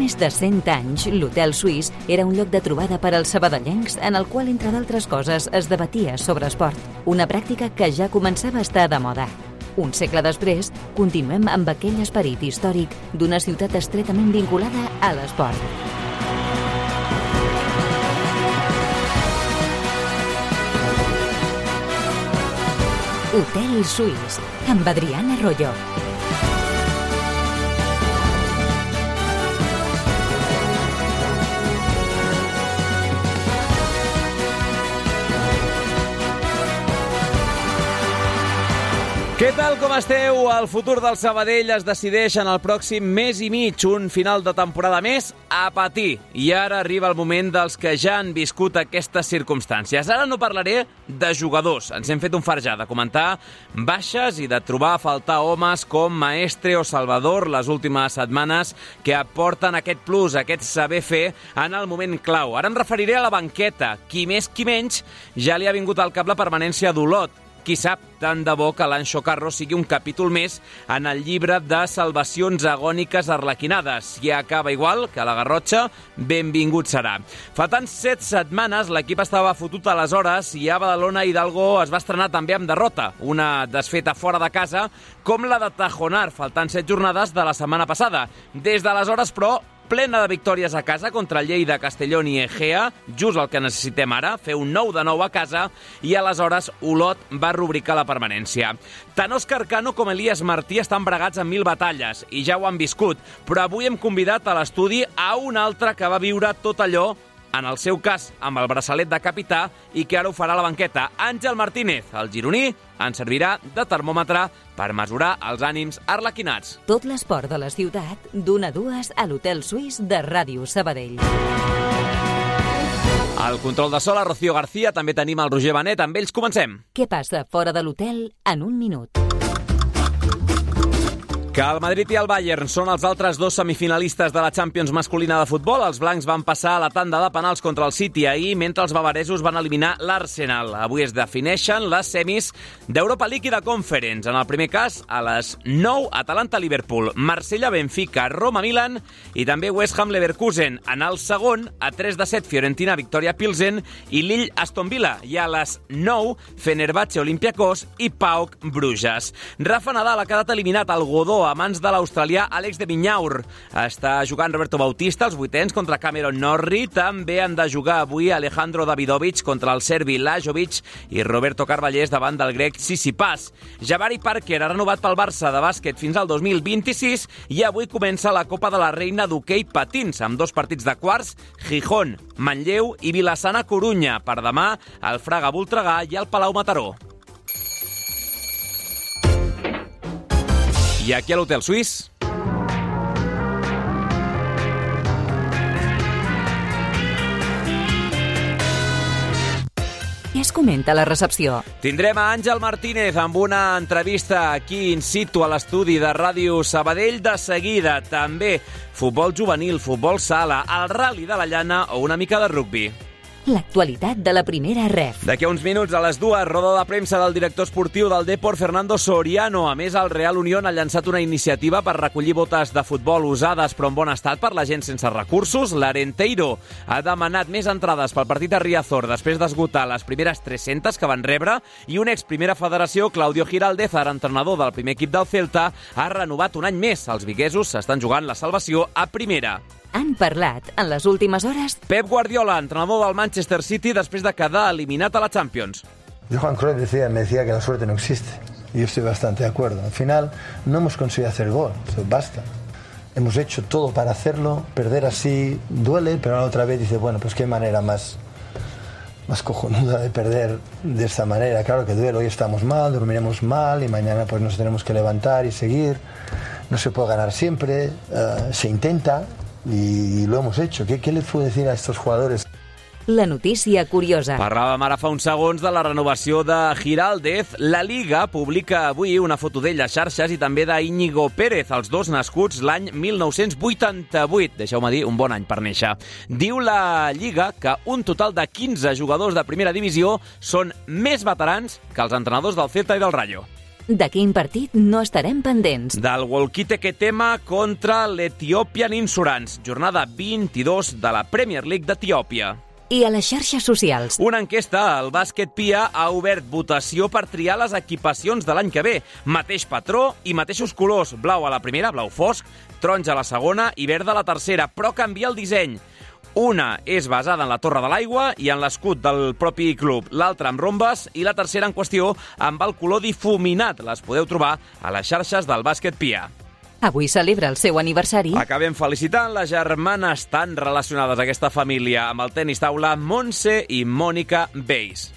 més de 100 anys, l'Hotel Suís era un lloc de trobada per als sabadellencs en el qual, entre d'altres coses, es debatia sobre esport. Una pràctica que ja començava a estar de moda. Un segle després, continuem amb aquell esperit històric d'una ciutat estretament vinculada a l'esport. Hotel Suís, amb Adriana Arroyo. Què tal, com esteu? El futur del Sabadell es decideix en el pròxim mes i mig, un final de temporada més a patir. I ara arriba el moment dels que ja han viscut aquestes circumstàncies. Ara no parlaré de jugadors. Ens hem fet un farjà de comentar baixes i de trobar a faltar homes com Maestre o Salvador les últimes setmanes que aporten aquest plus, aquest saber fer en el moment clau. Ara em referiré a la banqueta. Qui més, qui menys, ja li ha vingut al cap la permanència d'Olot. Qui sap, tant de bo que l'Anxo Carro sigui un capítol més en el llibre de salvacions agòniques arlequinades. Si acaba igual que la Garrotxa, benvingut serà. Fa tant 7 setmanes l'equip estava fotut aleshores i a Badalona Hidalgo es va estrenar també amb derrota. Una desfeta fora de casa com la de Tajonar, faltant 7 jornades de la setmana passada. Des d'aleshores, però, plena de victòries a casa contra Lleida, Castellón i Egea, just el que necessitem ara, fer un 9-9 a casa, i aleshores Olot va rubricar la permanència. Tant Òscar Cano com Elias Martí estan bregats amb 1000 batalles, i ja ho han viscut, però avui hem convidat a l'estudi a un altre que va viure tot allò, en el seu cas amb el braçalet de capità, i que ara ho farà a la banqueta. Àngel Martínez, el gironí, ens servirà de termòmetre per mesurar els ànims arlequinats. Tot l'esport de la ciutat, d'1 a 2 a l'Hotel Suís de Ràdio Sabadell. Al control de so, la Rocío García, també tenim el Roger Benet. Amb ells comencem. Què passa fora de l'hotel en un minut? Que el Madrid i el Bayern són els altres dos semifinalistes de la Champions masculina de futbol. Els blancs van passar a la tanda de penals contra el City ahir, mentre els bavaresos van eliminar l'Arsenal. Avui es defineixen les semis d'Europa League i de Conference. En el primer cas, a les 9, Atalanta-Liverpool, Marsella-Benfica, Roma-Milan i també West Ham-Leverkusen. En el segon, a 3-7, Fiorentina-Victoria-Pilsen i Lille-Aston Villa. I a les 9, Fenerbahce-Olympiacos i PAOK-Bruges. Rafa Nadal ha quedat eliminat al Godó a mans de l'australià Àlex de Vinyaur. Està jugant Roberto Bautista als vuitens contra Cameron Norrie. També han de jugar avui Alejandro Davidovic contra el serbi Lajovic i Roberto Carballés davant del grec Tsitsipas. Jabari Parker ha renovat pel Barça de bàsquet fins al 2026 i avui comença la Copa de la Reina d'hoquei patins amb 2 partits de quarts, Gijón, Manlleu i Vilassana Corunya. Per demà, el Fraga Voltregà i el Palau Mataró. I aquí a l'Hotel Suís. Què es comenta a la recepció? Tindrem a Àngel Martínez amb una entrevista aquí in situ a l'estudi de Ràdio Sabadell. De seguida també futbol juvenil, futbol sala, el Rally de la Llana o una mica de rugbi. L'actualitat de la primera ref. D'aquí a uns minuts, a les 2, roda de premsa del director esportiu del Depor, Fernando Soriano. A més, el Real Unión ha llançat una iniciativa per recollir botes de futbol usades però en bon estat per la gent sense recursos. L'Arenteiro ha demanat més entrades pel partit de Riazor després d'esgotar les primeres 300 que van rebre i un ex-primera federació, Claudio Giraldez, ara entrenador del primer equip del Celta, ha renovat un any més. Els viguesos s'estan jugant la salvació a primera. Han parlat en les últimes hores Pep Guardiola, entrenador del Manchester City, després de quedar eliminat a la Champions. Johan Cruyff me decía que la suerte no existe. Y yo estoy bastante de acuerdo. Al final no hemos conseguido hacer gol, eso basta. Hemos hecho todo para hacerlo, perder así duele, pero la otra vez dice, bueno, pues qué manera más cojonuda de perder de esta manera. Claro que duele, hoy estamos mal, dormiremos mal y mañana pues nos tenemos que levantar y seguir. No se puede ganar siempre, se intenta. Y lo hemos hecho. ¿Qué les puedo decir a estos jugadores? la notícia curiosa. Parlàvem ara fa uns segons de la renovació de Giraldez. La Liga publica avui una foto d'ell a xarxes i també d'Íñigo Pérez, els dos nascuts l'any 1988. Deixeu-me dir, un bon any per néixer. Diu la Lliga que un total de 15 jugadors de primera divisió són més veterans que els entrenadors del Celta i del Rayo. De quin partit no estarem pendents? Del Wolquite Ketema contra l'Ethiopian Insurance, jornada 22 de la Premier League d'Etiòpia. I a les xarxes socials. Una enquesta al Bàsquet Pia ha obert votació per triar les equipacions de l'any que ve. Mateix patró i mateixos colors. Blau a la primera, blau fosc, taronja a la segona i verd a la tercera, però canvia el disseny. Una és basada en la Torre de l'Aigua i en l'escut del propi club, l'altra amb rombes i la tercera en qüestió amb el color difuminat. Les podeu trobar a les xarxes del Bàsquet Pia. Avui celebra el seu aniversari. Acabem felicitant les germanes tan relacionades a aquesta família amb el tenis taula Montse i Mònica Beis.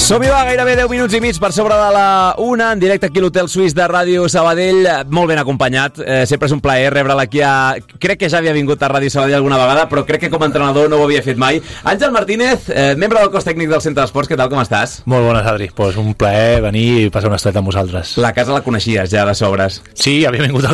Som-hi, va, gairebé 10 minuts i mig per sobre de la 1, en directe aquí a l'Hotel Suís de Ràdio Sabadell, molt ben acompanyat. Sempre és un plaer rebre'l aquí a... Crec que ja havia vingut a Ràdio Sabadell alguna vegada, però crec que com a entrenador no ho havia fet mai. Àngel Martínez, membre del cos tècnic del Centre d'Esports, què tal, com estàs? Molt bones, Adri. Pues un plaer venir i passar una estona amb vosaltres. La casa la coneixies ja de sobres? Sí, havia vingut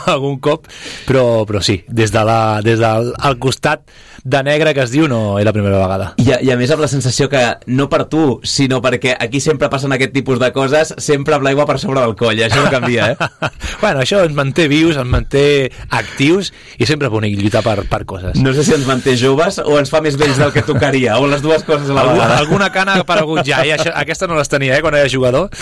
algun cop, però sí, des del costat de negre que es diu no és la primera vegada. I a més amb la sensació que no per tu, sinó perquè aquí sempre passen aquest tipus de coses, sempre amb l'aigua per sobre del coll, això no canvia, eh? Bueno, això ens manté vius, ens manté actius i sempre és bonic lluitar per coses. No sé si ens manté joves o ens fa més vells del que tocaria, o les dues coses a la vegada. Alguna cana ha aparegut ja, i aquesta no les tenia, quan era jugador.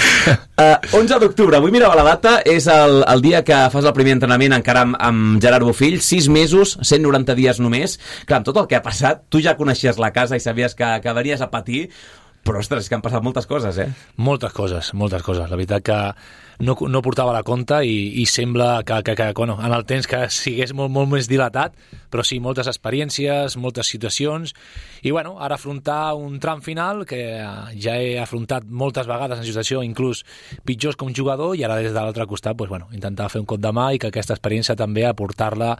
11 d'octubre, avui mirava la data, és el dia que fas el primer entrenament encara amb Gerard Bofill, 6 mesos, 190 dies només. Clar, amb tot el que ha passat, tu ja coneixies la casa i sabies que venies a patir, però, ostres, que han passat moltes coses, eh? Moltes coses. La veritat que no portava la compte i sembla que bueno, en el temps que sigués molt més dilatat, però sí, moltes experiències, moltes situacions, i bueno, ara afrontar un tram final que ja he afrontat moltes vegades en situació inclús pitjors com jugador, i ara des de l'altre costat pues, bueno, intentar fer un cop de mà i que aquesta experiència també aportar-la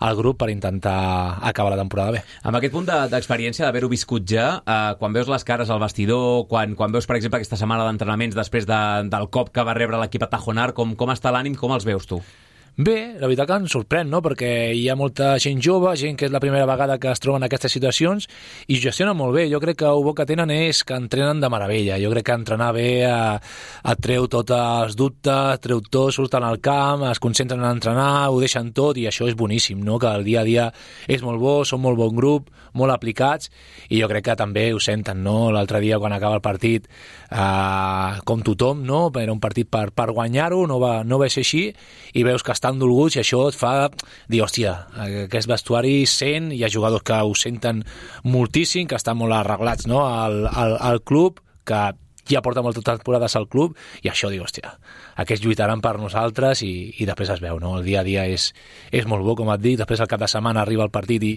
al grup per intentar acabar la temporada bé. Amb aquest punt d'experiència d'haver-ho viscut ja, quan veus les cares al vestidor, quan veus, per exemple, aquesta setmana d'entrenaments després del cop que va rebre l'equip a Tajonar, com està l'ànim, com els veus tu? Bé, la veritat que em sorprèn, no? Perquè hi ha molta gent jove, gent que és la primera vegada que es troben en aquestes situacions i gestionen molt bé. Jo crec que el bo que tenen és que entrenen de meravella. Jo crec que entrenar bé et treu tots els dubtes, treu tot, surten al camp, es concentren en entrenar, ho deixen tot, i això és boníssim, no? Que el dia a dia és molt bo, són molt bon grup, molt aplicats, i jo crec que també ho senten, no? L'altre dia quan acaba el partit, com tothom, no? Era un partit per guanyar-ho, no va ser així, i veus que estan dolguts, i això et fa dir, hòstia, aquest vestuari sent, hi ha jugadors que ho senten moltíssim, que estan molt arreglats, no? al club, que ja porta moltes temporades al club, i això diu, hòstia, aquests lluitaran per nosaltres, i després es veu, no? El dia a dia és molt bo, com et dic, després el cap de setmana arriba el partit i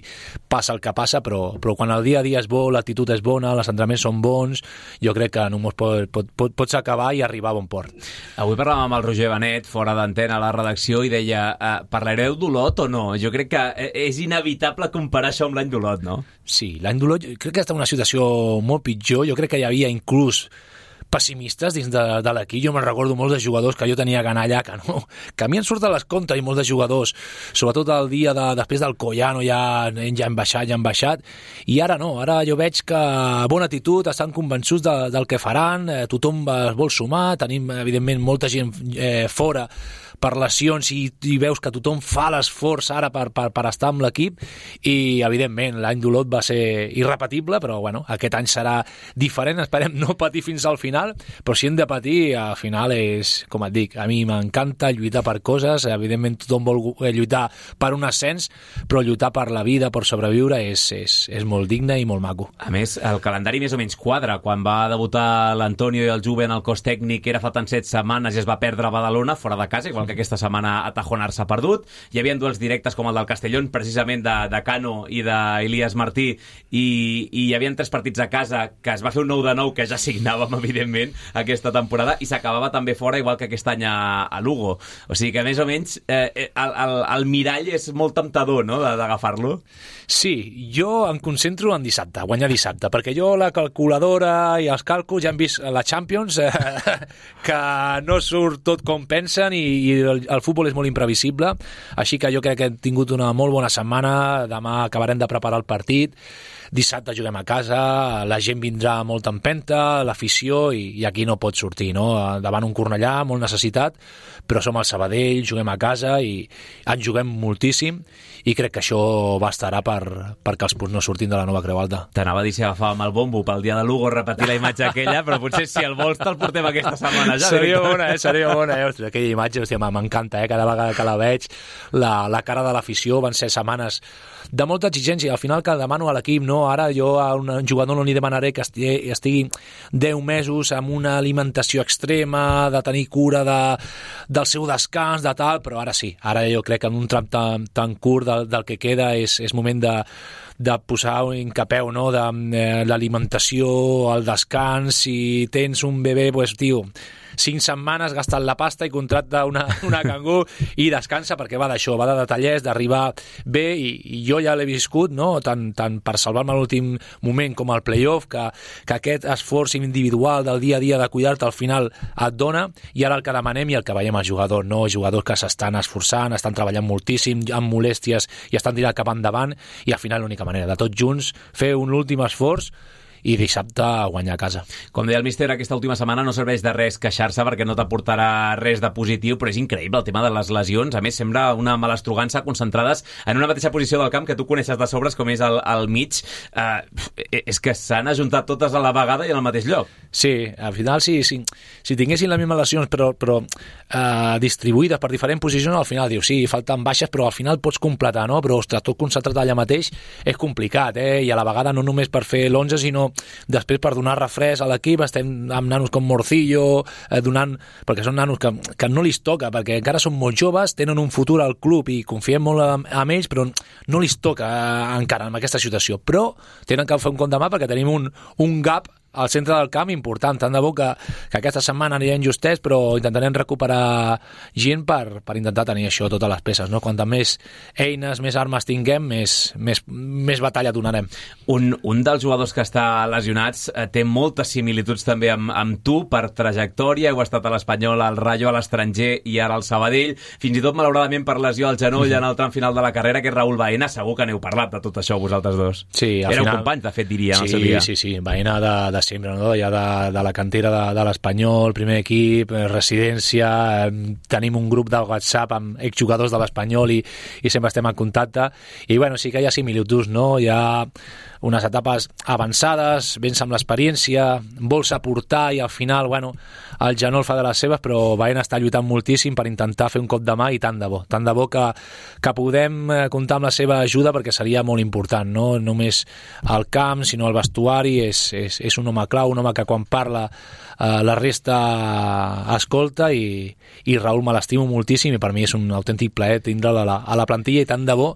passa el que passa, però quan el dia a dia és bo, l'actitud és bona, els entrenaments són bons, jo crec que només pots acabar i arribar a bon port. Avui parlàvem amb el Roger Benet, fora d'antena a la redacció, i deia, parlareu d'Olot o no? Jo crec que és inevitable comparar això amb l'any d'Olot, no? Sí, l'any d'Olot crec que està en una situació molt pitjor. Jo crec que hi havia inclús pessimistes dins de l'equip. Jo me'n recordo molts de jugadors que jo tenia que anar allà, que a mi em surten les comptes, i molts de jugadors, sobretot el dia després del Collano, ja han baixat, i ara no, ara jo veig que bona actitud, estan convençuts del que faran, tothom es vol sumar, tenim evidentment molta gent fora per lesions, i veus que tothom fa l'esforç ara per estar amb l'equip, i evidentment l'any d'Olot va ser irrepetible, però bueno, aquest any serà diferent, esperem no patir fins al final, però si hem de patir, al final és, com et dic, a mi m'encanta lluitar per coses, evidentment tothom vol lluitar per un ascens, però lluitar per la vida, per sobreviure, és molt digne i molt maco. A més, el calendari més o menys quadra. Quan va debutar l'Antonio i el Juve en el cos tècnic era faltant 7 setmanes i es va perdre a Badalona, fora de casa, igual igual que aquesta setmana a Tajonar s'ha perdut. Hi havia duels directes com el del Castellón, precisament de Cano i d'Elias Martí, i hi havia 3 partits a casa, que es va fer un 9-9 que ja signàvem, evidentment, aquesta temporada, i s'acabava també fora, igual que aquest any a Lugo. O sigui que, més o menys, el mirall és molt temptador, no?, d'agafar-lo. Sí, jo em concentro en dissabte, guanyar dissabte, perquè jo la calculadora i els càlculs ja hem vist a la Champions que no surt tot com pensen i el futbol és molt imprevisible, així que jo crec que hem tingut una molt bona setmana, demà acabarem de preparar el partit, dissabte juguem a casa, la gent vindrà molt empenta, l'afició, i aquí no pot sortir, no? Davant un Cornellà molt necessitat, però som al Sabadell, juguem a casa i en juguem moltíssim, i crec que això bastarà perquè els punts no surtin de la Nova Creu Alta. T'anava a dir si agafàvem el bombo pel dia de Lugo, repetir la imatge aquella, però potser si el vols te'l portem aquesta setmana ja. Seria bona, Ostres, aquella imatge, hòstia, m'encanta, cada vegada que la veig, la cara de l'afició. Van ser setmanes de molta exigència, al final que demano a l'equip, no? Ara jo a un jugador no li demanaré que estigui 10 mesos amb una alimentació extrema, de tenir cura del seu descans, de tal, però ara sí, ara jo crec que en un tram tan curt del que queda és moment de posar un capeu, no?, de l'alimentació, el descans. Si tens un bebè, pues, tio, 5 setmanes gastant la pasta i contracta una cangur i descansa, perquè va d'això, va de detallers, d'arribar bé, i jo ja l'he viscut, no?, tant per salvar-me a l'últim moment com al playoff, que aquest esforç individual del dia a dia de cuidar-te al final et dona, i ara el que demanem i el que veiem als jugadors, no? Jugadors que s'estan esforçant, estan treballant moltíssim, amb molèsties, i estan tirant cap endavant, i al final l'única manera de tots junts fer un últim esforç i dissabte guanyar a casa. Com deia el míster, aquesta última setmana no serveix de res queixar-se perquè no t'aportarà res de positiu, però és increïble el tema de les lesions. A més, sembla una malastrugança concentrades en una mateixa posició del camp que tu coneixes de sobres, com és al mig. És que s'han ajuntat totes a la vegada i en el mateix lloc. Sí, al final si tinguessin les mesmes lesions però distribuïdes per diferents posicions, al final dius, sí, falten baixes, però al final pots completar, no? Però, ostres, tot concentrat allà mateix és complicat, i a la vegada no només per fer l'11, sinó després per donar refresc a l'equip. Estem amb nanos com Morcillo, perquè són nanos que no li toca, perquè encara són molt joves, tenen un futur al club i confiem molt en ells, però no li toca encara en aquesta situació. Però tenen que fer un compte mà perquè tenim un gap al centre del camp important. Tant de bo que aquesta setmana anirem justets, però intentarem recuperar gent per intentar tenir això, totes les peces, no? Quantes més eines, més armes tinguem, més batalla donarem. Un dels jugadors que està lesionats té moltes similituds també amb tu per trajectòria. Heu estat a l'Espanyol, al Rayo, a l'estranger i ara al Sabadell. Fins i tot, malauradament, per lesió al genoll en el tram final de la carrera, que és Raúl Baena. Segur que n'heu parlat de tot això, vosaltres dos. Sí, al Éreu final... companys, de fet, diria, en el seu dia. Sí. Baena de sempre, no? Ja de la cantera de l'Espanyol, primer equip, residència, tenim un grup de WhatsApp amb exjugadors de l'Espanyol i sempre estem en contacte, i bueno, sí que hi ha similituds, no? Hi ha unes etapes avançades, vens amb l'experiència, vols aportar i al final, bueno, el genoll fa de les seves, però Baena està lluitant moltíssim per intentar fer un cop de mà, i tant de bo que podem comptar amb la seva ajuda, perquè seria molt important, no només al camp, sinó al vestuari. És un home clau, un home que quan parla la resta escolta, i Raúl me l'estimo moltíssim, i per mi és un autèntic plaer tindre'l a la plantilla, i tant de bo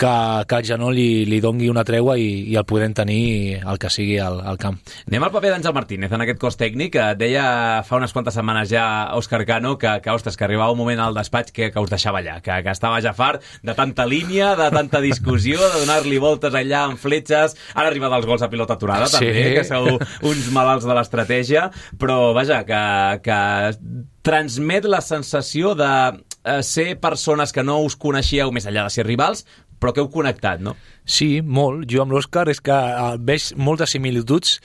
que el genoll li dongui una tregua i el podem tenir el que sigui al camp. Anem al paper d'Àngel Martínez en aquest cos tècnic. Deia fa unes quantes setmanes ja Òscar Cano que arribava un moment al despatx que us deixava allà, que estava ja fart de tanta línia, de tanta discussió, de donar-li voltes allà amb fletxes. Ara arriba dels gols a pilota aturada, sí, també, que sou uns malalts de l'estratègia, però vaja, que transmet la sensació de ser persones que no us coneixíeu més enllà de ser rivals, però que heu connectat, no? Sí, molt. Jo amb l'Òscar és que veig moltes similituds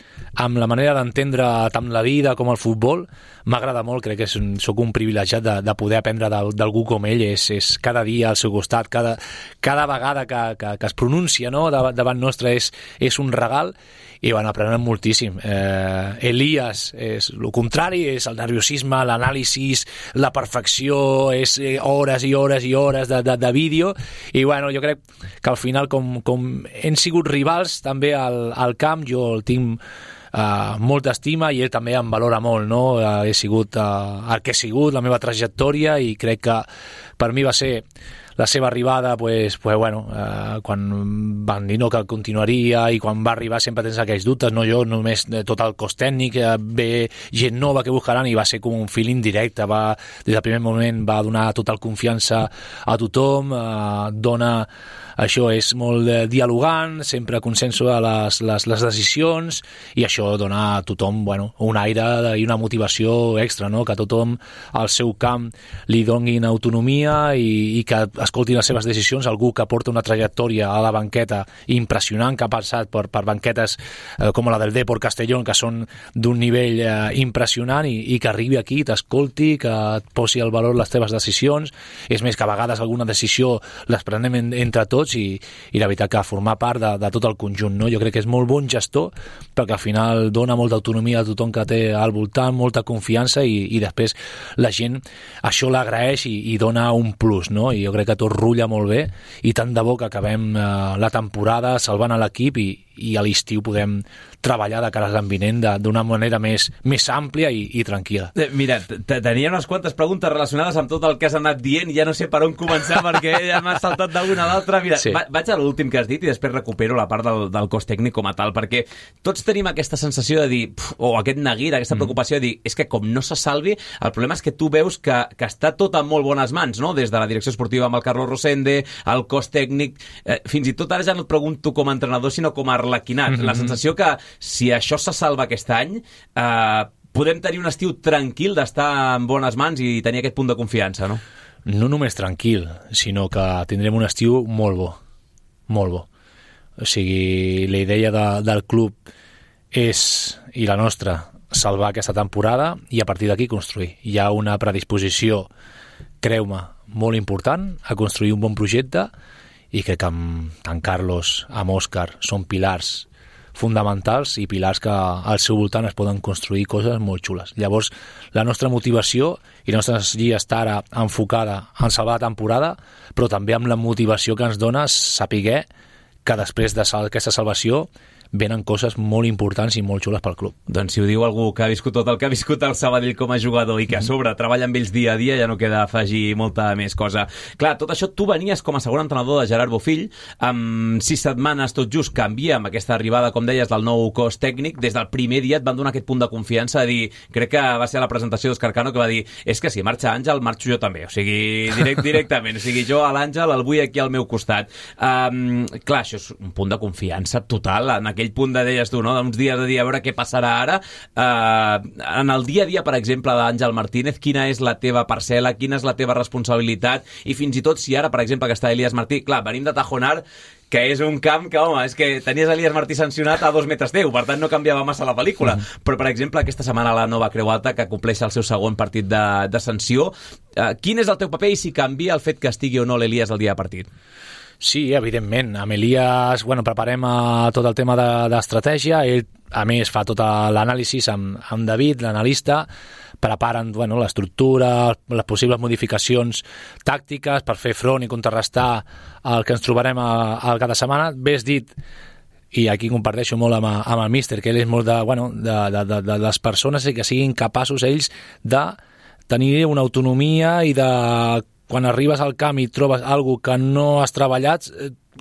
amb la manera d'entendre tant la vida com el futbol. M'agrada molt, crec que sóc un privilegiat de poder aprendre d'algú com ell. És cada dia al seu costat, cada vegada que es pronuncia, no, davant nostre és un regal, i bueno, aprenem moltíssim. Elias és el contrari, és el nerviosisme, l'anàlisi, la perfecció, és hores i hores i hores de vídeo, i bueno, jo crec que al final com hem sigut rivals també al camp, jo el tinc molta estima i ell també em valora molt, no? He sigut el que he sigut, la meva trajectòria, i crec que per mi va ser la seva arribada, quan van dir no, que continuaria, i quan va arribar sempre tens aquells dubtes, no jo, només tot el cos tècnic, ve gent nova que buscaran, i va ser com un feeling directe, des del primer moment va donar total confiança a tothom, això és molt dialogant, sempre consenso a les decisions, i això dona a tothom un aire i una motivació extra, no? Que a tothom al seu camp li donin autonomia i que escoltin les seves decisions, algú que porta una trajectòria a la banqueta impressionant, que ha passat per banquetes com la del Depor Castellón, que són d'un nivell impressionant, i que arribi aquí, t'escolti, que et posi al valor les teves decisions. És més, que a vegades alguna decisió les prenem entre tots, i la veritat que formar part de tot el conjunt, no? Jo crec que és molt bon gestor, perquè al final dona molta autonomia a tothom que té al voltant, molta confiança, i després la gent això l'agraeix i dona un plus, no? I jo crec que tot rutlla molt bé, i tant de bo que acabem la temporada salvant a l'equip, i a l'estiu podem treballar de cara a l'any vinent d'una manera més àmplia i tranquil·la. Mira, tenia unes quantes preguntes relacionades amb tot el que has anat dient, ja no sé per on començar perquè ja m'has saltat d'una a l'altra. Mira, sí. Vaig a l'últim que has dit i després recupero la part del cos tècnic com a tal, perquè tots tenim aquesta sensació de dir, o aquest neguit, aquesta preocupació de dir, és que com no se salvi, el problema és que tu veus que està tot en molt bones mans, no? Des de la direcció esportiva amb el Carlos Rosende, el cos tècnic, fins i tot ara ja no et pregunto com a entrenador, sinó com a arlequinat. La sensació que si això se salva aquest any, podem tenir un estiu tranquil d'estar en bones mans i tenir aquest punt de confiança, no? No només tranquil, sinó que tindrem un estiu molt bo, molt bo. O sigui, la idea del club és, i la nostra, salvar aquesta temporada i a partir d'aquí construir. Hi ha una predisposició, creu-me, molt important a construir un bon projecte, i crec que amb en Carlos, amb Òscar, són pilars fonamentals i pilars que al seu voltant es poden construir coses molt xules. Llavors, la nostra motivació i la nostra energia està ara enfocada en salvar la temporada, però també amb la motivació que ens dona saber que després d'aquesta salvació venen coses molt importants i molt xules pel club. Doncs si ho diu algú que ha viscut tot el que ha viscut el Sabadell com a jugador i que a sobre treballa amb ells dia a dia, ja no queda afegir molta més cosa. Clar, tot això tu venies com a segon entrenador de Gerard Bofill, amb 6 setmanes tot just canvia amb aquesta arribada, com deies, del nou cos tècnic. Des del primer dia et van donar aquest punt de confiança de dir, crec que va ser a la presentació d'Òscar Cano que va dir, és que si marxa Àngel, marxo jo també, o sigui, directament, o sigui, jo a l'Àngel el vull aquí al meu costat. Clar, això és un punt de confiança total en aquell punt de, deies tu, no? D'uns dies de dir a veure què passarà ara. En el dia a dia, per exemple, d'Àngel Martínez, quina és la teva parcel·la, quina és la teva responsabilitat, i fins i tot si ara, per exemple, que està Elias Martí, clar, venim de Tajonar, que és un camp que, home, és que tenies Elias Martí sancionat a 2 metres teu, per tant no canviava massa la pel·lícula. Però, per exemple, aquesta setmana la nova Creu Alta, que compleix el seu segon partit de sanció, quin és el teu paper i si canvia el fet que estigui o no l'Elias el dia de partit? Sí, evidentment. Amb Elias preparem tot el tema d'estratègia. Ell, a més, fa tot l'anàlisi amb David, l'analista, preparen l'estructura, les possibles modificacions tàctiques per fer front i contrarrestar el que ens trobarem al cada setmana. Bé has dit, i aquí comparteixo molt amb el míster, que ell és molt de les persones que siguin capaços ells de tenir una autonomia i de, quan arribes al camp i trobes alguna que no has treballat,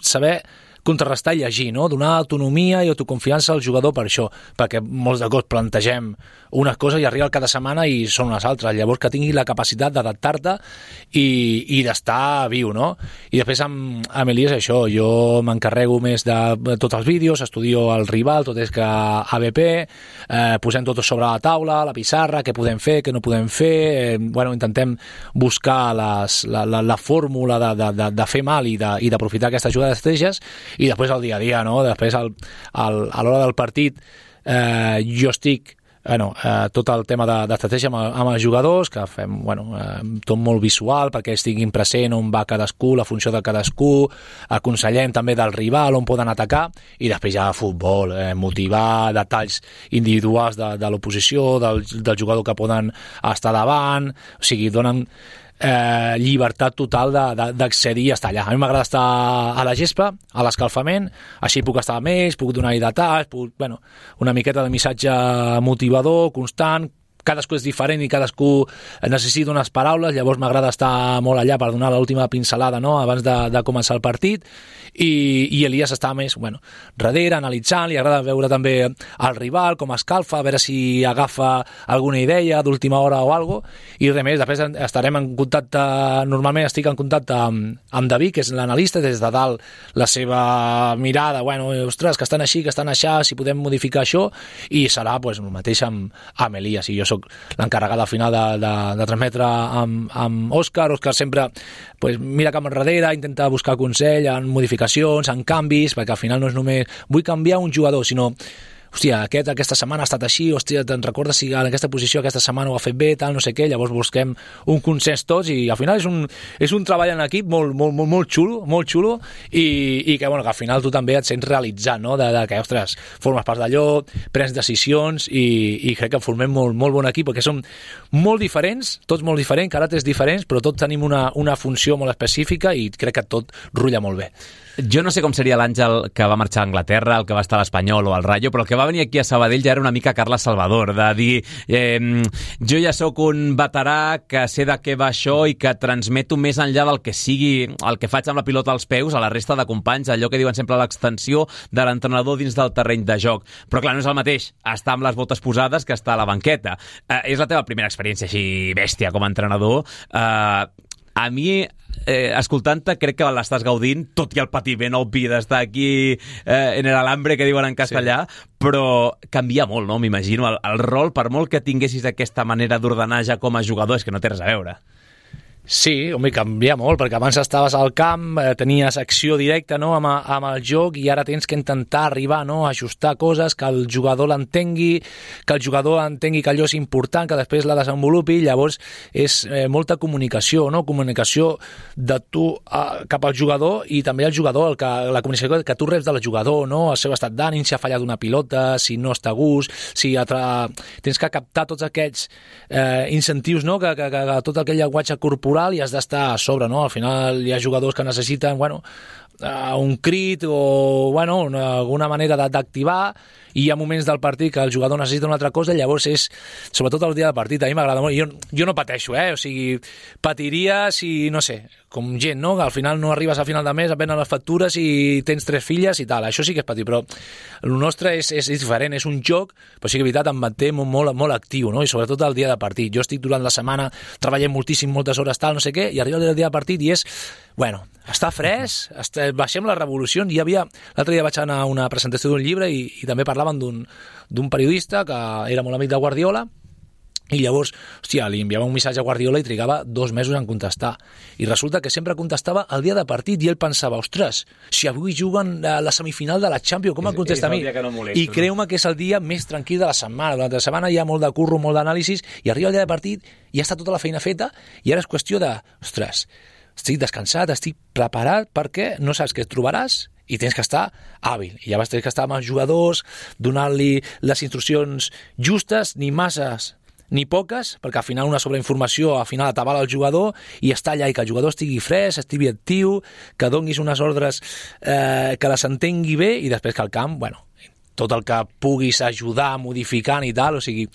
saber contrarrestar i llegir, no? Donar autonomia i autoconfiança al jugador per això, perquè molts de cops plantegem unes coses i arriba cada setmana i són unes altres, llavors que tingui la capacitat d'adaptar-te i d'estar viu, no? I després amb Elias això, jo m'encarrego més de tots els vídeos, estudio el rival, tot és que ABP, posem tot sobre la taula, la pissarra, què podem fer, què no podem fer, intentem buscar la fórmula de fer mal i d'aprofitar aquestes jugades d'estratègies. I després el dia a dia, no? Després a l'hora del partit jo estic tot el tema d'estratègia amb els jugadors, que fem tot molt visual perquè estiguin present on va cadascú, la funció de cadascú, aconsellem també del rival on poden atacar, i després ja futbol, motivar detalls individuals de l'oposició, del jugador que poden estar davant, o sigui, donen llibertat total d'accedir a estar allà. A mi m'agrada estar a la gespa, a l'escalfament, així puc estar amb ells, puc donar-hi detalls, una miqueta de missatge motivador, constant. Cadascú és diferent i cadascú necessita unes paraules, llavors m'agrada estar molt allà per donar l'última pincelada, no?, abans de començar el partit, i Elias està més darrere, analitzant, li agrada veure també el rival, com escalfa, a veure si agafa alguna idea d'última hora o alguna cosa, i res més. Després estarem en contacte, normalment estic en contacte amb David, que és l'analista, des de dalt la seva mirada, ostres, que estan així, que estan aixà, si podem modificar això, i serà el mateix amb Elias, i jo soc l'encarregat al final de transmetre amb Òscar. Òscar sempre mira cap enrere, intenta buscar consell en modificacions, en canvis, perquè al final no és només vull canviar un jugador, sinó hòstia, aquesta setmana ha estat així, hòstia, te'n recordes si en aquesta posició aquesta setmana ho ha fet bé, tal, no sé què, llavors busquem un consens tots, i al final és un treball en equip molt xulo, i que al final tu també et sents realitzat, no?, de que, ostres, formes part d'allò, prens decisions, i crec que formem molt bon equip, perquè som molt diferents, tots molt diferents, caràcters diferents, però tots tenim una funció molt específica, i crec que tot rutlla molt bé. Jo no sé com seria l'Àngel que va marxar a Anglaterra, el que va estar a l'Espanyol o al Rayo, però el que va venir aquí a Sabadell ja era una mica Carles Salvador, de dir jo ja sóc un veterà que sé de què va això i que transmeto més enllà del que sigui el que faig amb la pilota als peus a la resta de companys, allò que diuen sempre l'extensió de l'entrenador dins del terreny de joc. Però clar, no és el mateix estar amb les botes posades que estar a la banqueta. És la teva primera experiència així bèstia com a entrenador. A mi, escoltant-te, crec que l'estàs gaudint, tot i el patiment obvi d'estar aquí en el alambre, que diuen en castellà, sí. Però canvia molt, no? M'imagino. El rol, per molt que tinguessis aquesta manera d'ordenar ja com a jugador, és que no té res a veure. Sí, home, canvia molt, perquè abans estaves al camp, tenies acció directa, no?, amb el joc, i ara tens que intentar arribar, no?, a ajustar coses, que el jugador l'entengui, que el jugador entengui que allò és important, que després la desenvolupi. Llavors és molta comunicació, no?, comunicació de tu cap al jugador, i també el jugador, la comunicació que tu reps del jugador, no?, el seu estat d'ànim, si ha fallat una pilota, si no està a gust, si tens que captar tots aquests incentius, no?, que tot aquell llenguatge corporal, i has d'estar a sobre, no? Al final hi ha jugadors que necessiten, un crit o, alguna manera d'activar, i hi ha moments del partit que el jugador necessita una altra cosa, llavors és, sobretot el dia del partit, a mi m'agrada molt, jo no pateixo, o sigui, patiria si, no sé, com gent, no?, que al final no arribes a final de mes, et venen les factures i tens 3 filles i tal, això sí que és patir, però el nostre és diferent, és un joc, però sí que és veritat, em manté molt actiu, no?, i sobretot el dia de partit. Jo estic durant la setmana treballant moltíssim, moltes hores, tal, no sé què, i arriba el dia de partit i és, està fresc, baixem les revolucions. L'altre dia vaig anar a una presentació d'un llibre i també parlaven d'un periodista que era molt amic de Guardiola, i llavors, li enviava un missatge a Guardiola i trigava 2 mesos en contestar, i resulta que sempre contestava el dia de partit, i ell pensava, ostres, si avui juguen a la semifinal de la Champions, com em contesta a mi? I creu-me que és el dia més tranquil de la setmana. Durant la setmana hi ha molt de curro, molt d'anàlisis, i arriba el dia de partit i ja està tota la feina feta, i ara és qüestió de, ostres, estic descansat, estic preparat, perquè no saps què et trobaràs i tens que estar hàbil. I llavors tens que estar amb els jugadors, donant-li les instruccions justes, ni masses ni poques, perquè al final una sobreinformació al final atabala el jugador, i està allà, i que el jugador estigui fresc, estigui actiu, que donis unes ordres que les entengui bé, i després que al camp, tot el que puguis ajudar modificant i tal, o sigui,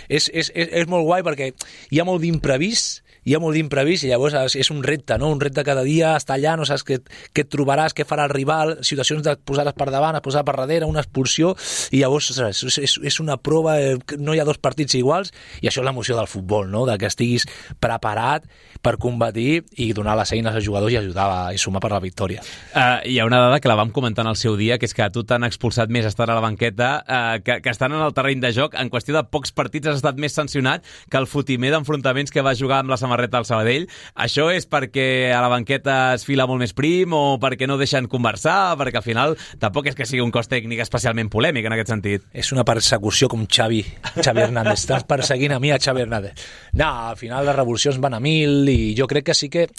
és molt guai, perquè hi ha molt d'imprevist, i llavors és un repte, no? Un repte cada dia, estar allà, no saps què et trobaràs, què farà el rival, situacions de posar-les per davant, posar per darrere, una expulsió, i llavors és una prova, no hi ha 2 partits iguals, i això és l'emoció del futbol, no?, de que estiguis preparat per combatir i donar les eines als jugadors i ajudar i sumar per la victòria. Hi ha una dada que la vam comentar en el seu dia, que és que a tu t'han expulsat més estar a la banqueta que estan en el terreny de joc. En qüestió de pocs partits has estat més sancionat que el fotimer d'enfrontaments que va jugar amb la samarreta al Sabadell. Això és perquè a la banqueta es fila molt més prim, o perquè no deixen conversar, perquè al final tampoc és que sigui un cos tècnic especialment polèmic en aquest sentit. És una persecució com Xavi Hernández. Estàs perseguint a mi, a Xavi Hernández. No, al final les revolucions van a 1000, i jo crec que sí que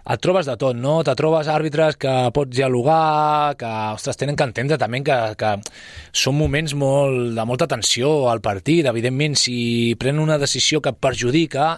et trobes de tot, no? Te trobes àrbitres que pots dialogar, que, ostres, tenen que entendre també que són moments de molta tensió al partit. Evidentment, si prenen una decisió que et perjudica,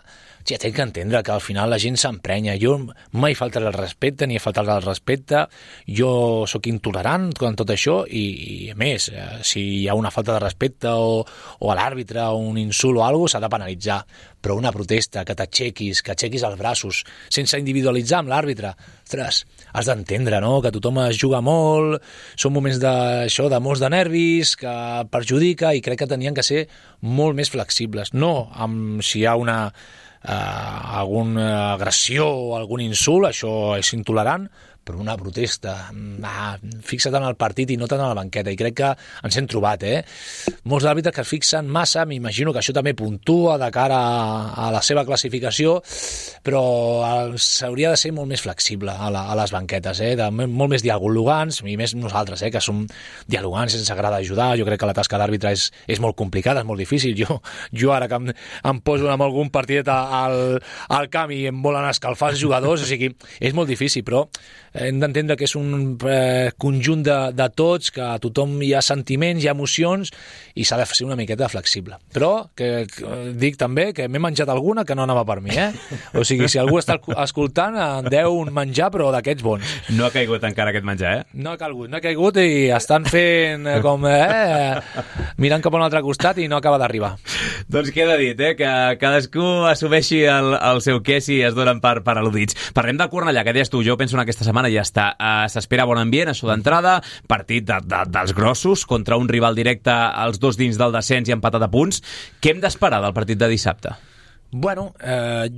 hòstia, tinc que entendre que al final la gent s'emprenya. Jo mai faltaré el respecte, ni faltarà el respecte. Jo sóc intolerant en tot això i a més, si hi ha una falta de respecte o a l'àrbitre o un insult o alguna cosa, s'ha de penalitzar. Però una protesta, que t'aixequis, que aixequis els braços, sense individualitzar amb l'àrbitre, ostres, has d'entendre, no?, que tothom es juga molt, són moments d'això, de molts de nervis, que perjudica, i crec que tenien que ser molt més flexibles. No si hi ha alguna agressió o algun insult, això és intolerant, però una protesta, fixa't en el partit i no tant a la banqueta, i crec que ens hem trobat, molts àrbitres que es fixen massa, m'imagino que això també puntua de cara a la seva classificació, però s'hauria de ser molt més flexible a les banquetes, molt més dialogants, i més nosaltres, que som dialogants, ens agrada ajudar. Jo crec que la tasca d'àrbitre és molt complicada, és molt difícil. Jo ara que em poso amb algun partidet al camp i em volen escalfar els jugadors, o sigui, és molt difícil, però hem d'entendre que és un conjunt de tots, que a tothom hi ha sentiments, hi ha emocions, i s'ha de ser una miqueta flexible. Però que dic també que m'he menjat alguna que no anava per mi, O sigui, si algú està escoltant, en deu un menjar, però d'aquests bons. No ha caigut encara aquest menjar, No ha caigut i estan fent com, mirant cap a un altre costat i no acaba d'arribar. Doncs queda dit, que cadascú assumeixi el seu què si es donen per al·ludits. Parlem del Cornellà, que deies tu, jo penso en aquesta setmana ja està. S'espera bon ambient, això d'entrada, partit dels grossos, contra un rival directe, els dos dins del descens i empatat a punts. Què hem d'esperar del partit de dissabte? Bueno,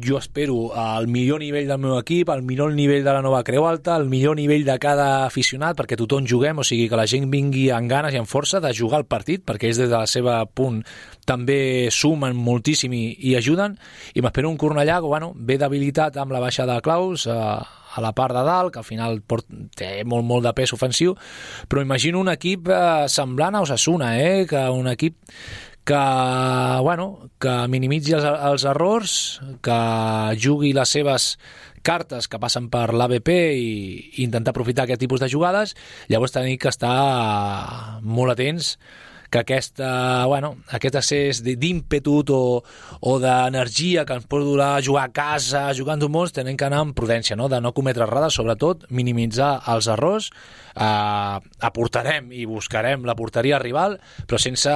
jo espero el millor nivell del meu equip, el millor nivell de la nova Creu Alta, el millor nivell de cada aficionat, perquè tothom juguem, o sigui que la gent vingui amb ganes i amb força de jugar el partit, perquè ells des de la seva punt també sumen moltíssim i ajuden, i m'espero un Cornellà que ve debilitat amb la baixada de Claus a la part de dalt, que al final té molt de pes ofensiu, però imagino un equip semblant a Osasuna, que un equip que minimitzi els errors, que jugui les seves cartes que passen per l'ABP i intentar aprofitar aquest tipus de jugades. Llavors tenim que estar molt atents que aquest excés d'ímpetu o d'energia que ens pot durar a jugar a casa, jugant molts, tenim que anar amb prudència, de no cometre errades, sobretot minimitzar els errors. Aportarem i buscarem la porteria rival, però sense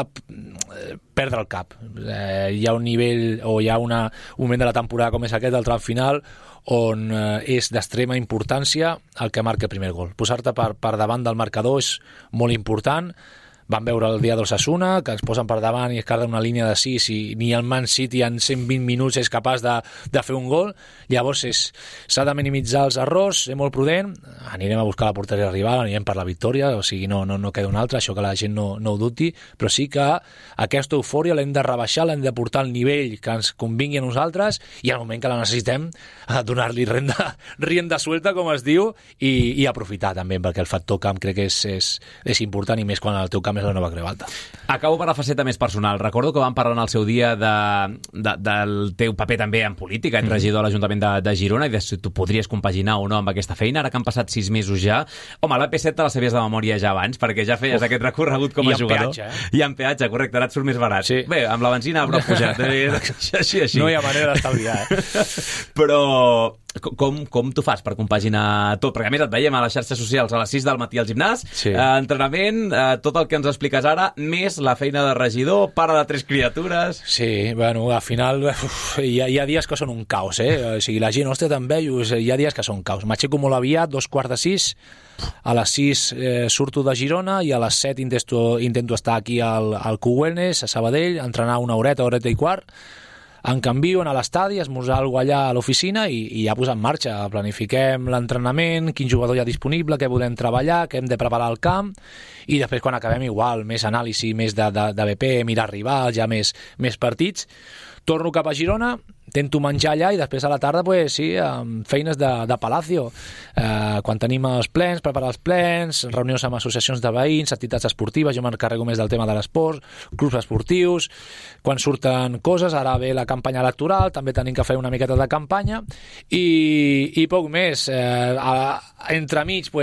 perdre el cap. Hi ha un nivell o hi ha un moment de la temporada com és aquest, del tram final, on és d'extrema importància el que marca el primer gol. Posar-te per davant del marcador és molt important. Vam veure el dia d'Osasuna, que ens posen per davant i es carden una línia de 6 i ni el Man City en 120 minuts és capaç de fer un gol. Llavors s'ha de minimitzar els errors, ser molt prudent, anirem a buscar la porteria rival, anirem per la victòria, o sigui, no queda un altre, això que la gent no ho dubti, però sí que aquesta eufòria l'hem de rebaixar, l'hem de portar al nivell que ens convingui a nosaltres, i al moment que la necessitem donar-li rienda suelta, com es diu, i aprofitar també, perquè el factor camp crec que és important, i més quan el teu camp és la nova Creu Alta. Acabo per la faceta més personal. Recordo que vam parlar en el seu dia del teu paper també en política, ets regidor a l'Ajuntament de Girona, i de si tu podries compaginar o no amb aquesta feina. Ara que han passat 6 mesos ja, home, la P7 te la sabies de memòria ja abans, perquè ja feies aquest recorregut com a jugador. I en peatge, correcte, ara et surt més barat. Sí. Bé, amb la benzina però pujat. Així. No hi ha manera d'estalviar, Però com tu fas per compaginar tot? Perquè a més et veiem a les xarxes socials a les 6 del matí al gimnàs, entrenament, tot el que ens expliques ara, més la feina de regidor, pare de 3 criatures... Sí, al final hi ha dies que són un caos, O sigui, la gent, ostres, te'n veus, hi ha dies que són caos. M'aixeco molt aviat, 5:15, a les 6 surto de Girona i a les 7 intento estar aquí al Q-Wellness, a Sabadell, entrenar una horeta i quart, em canvio, anar a l'estadi, esmorzar alguna cosa allà a l'oficina i ja posar en marxa. Planifiquem l'entrenament, quin jugador hi ha disponible, què podem treballar, què hem de preparar al camp, i després quan acabem igual, més anàlisi, més de BP, mirar rivals, ja més partits. Torno cap a Girona, intento menjar allà i després a la tarda, amb feines de Palacio. Quan tenim els plens, preparar els plens, reunions amb associacions de veïns, entitats esportives, jo m'encarrego més del tema de l'esport, clubs esportius, quan surten coses, ara ve la campanya electoral, també tenim que fer una miqueta de campanya, i poc més. Entremig,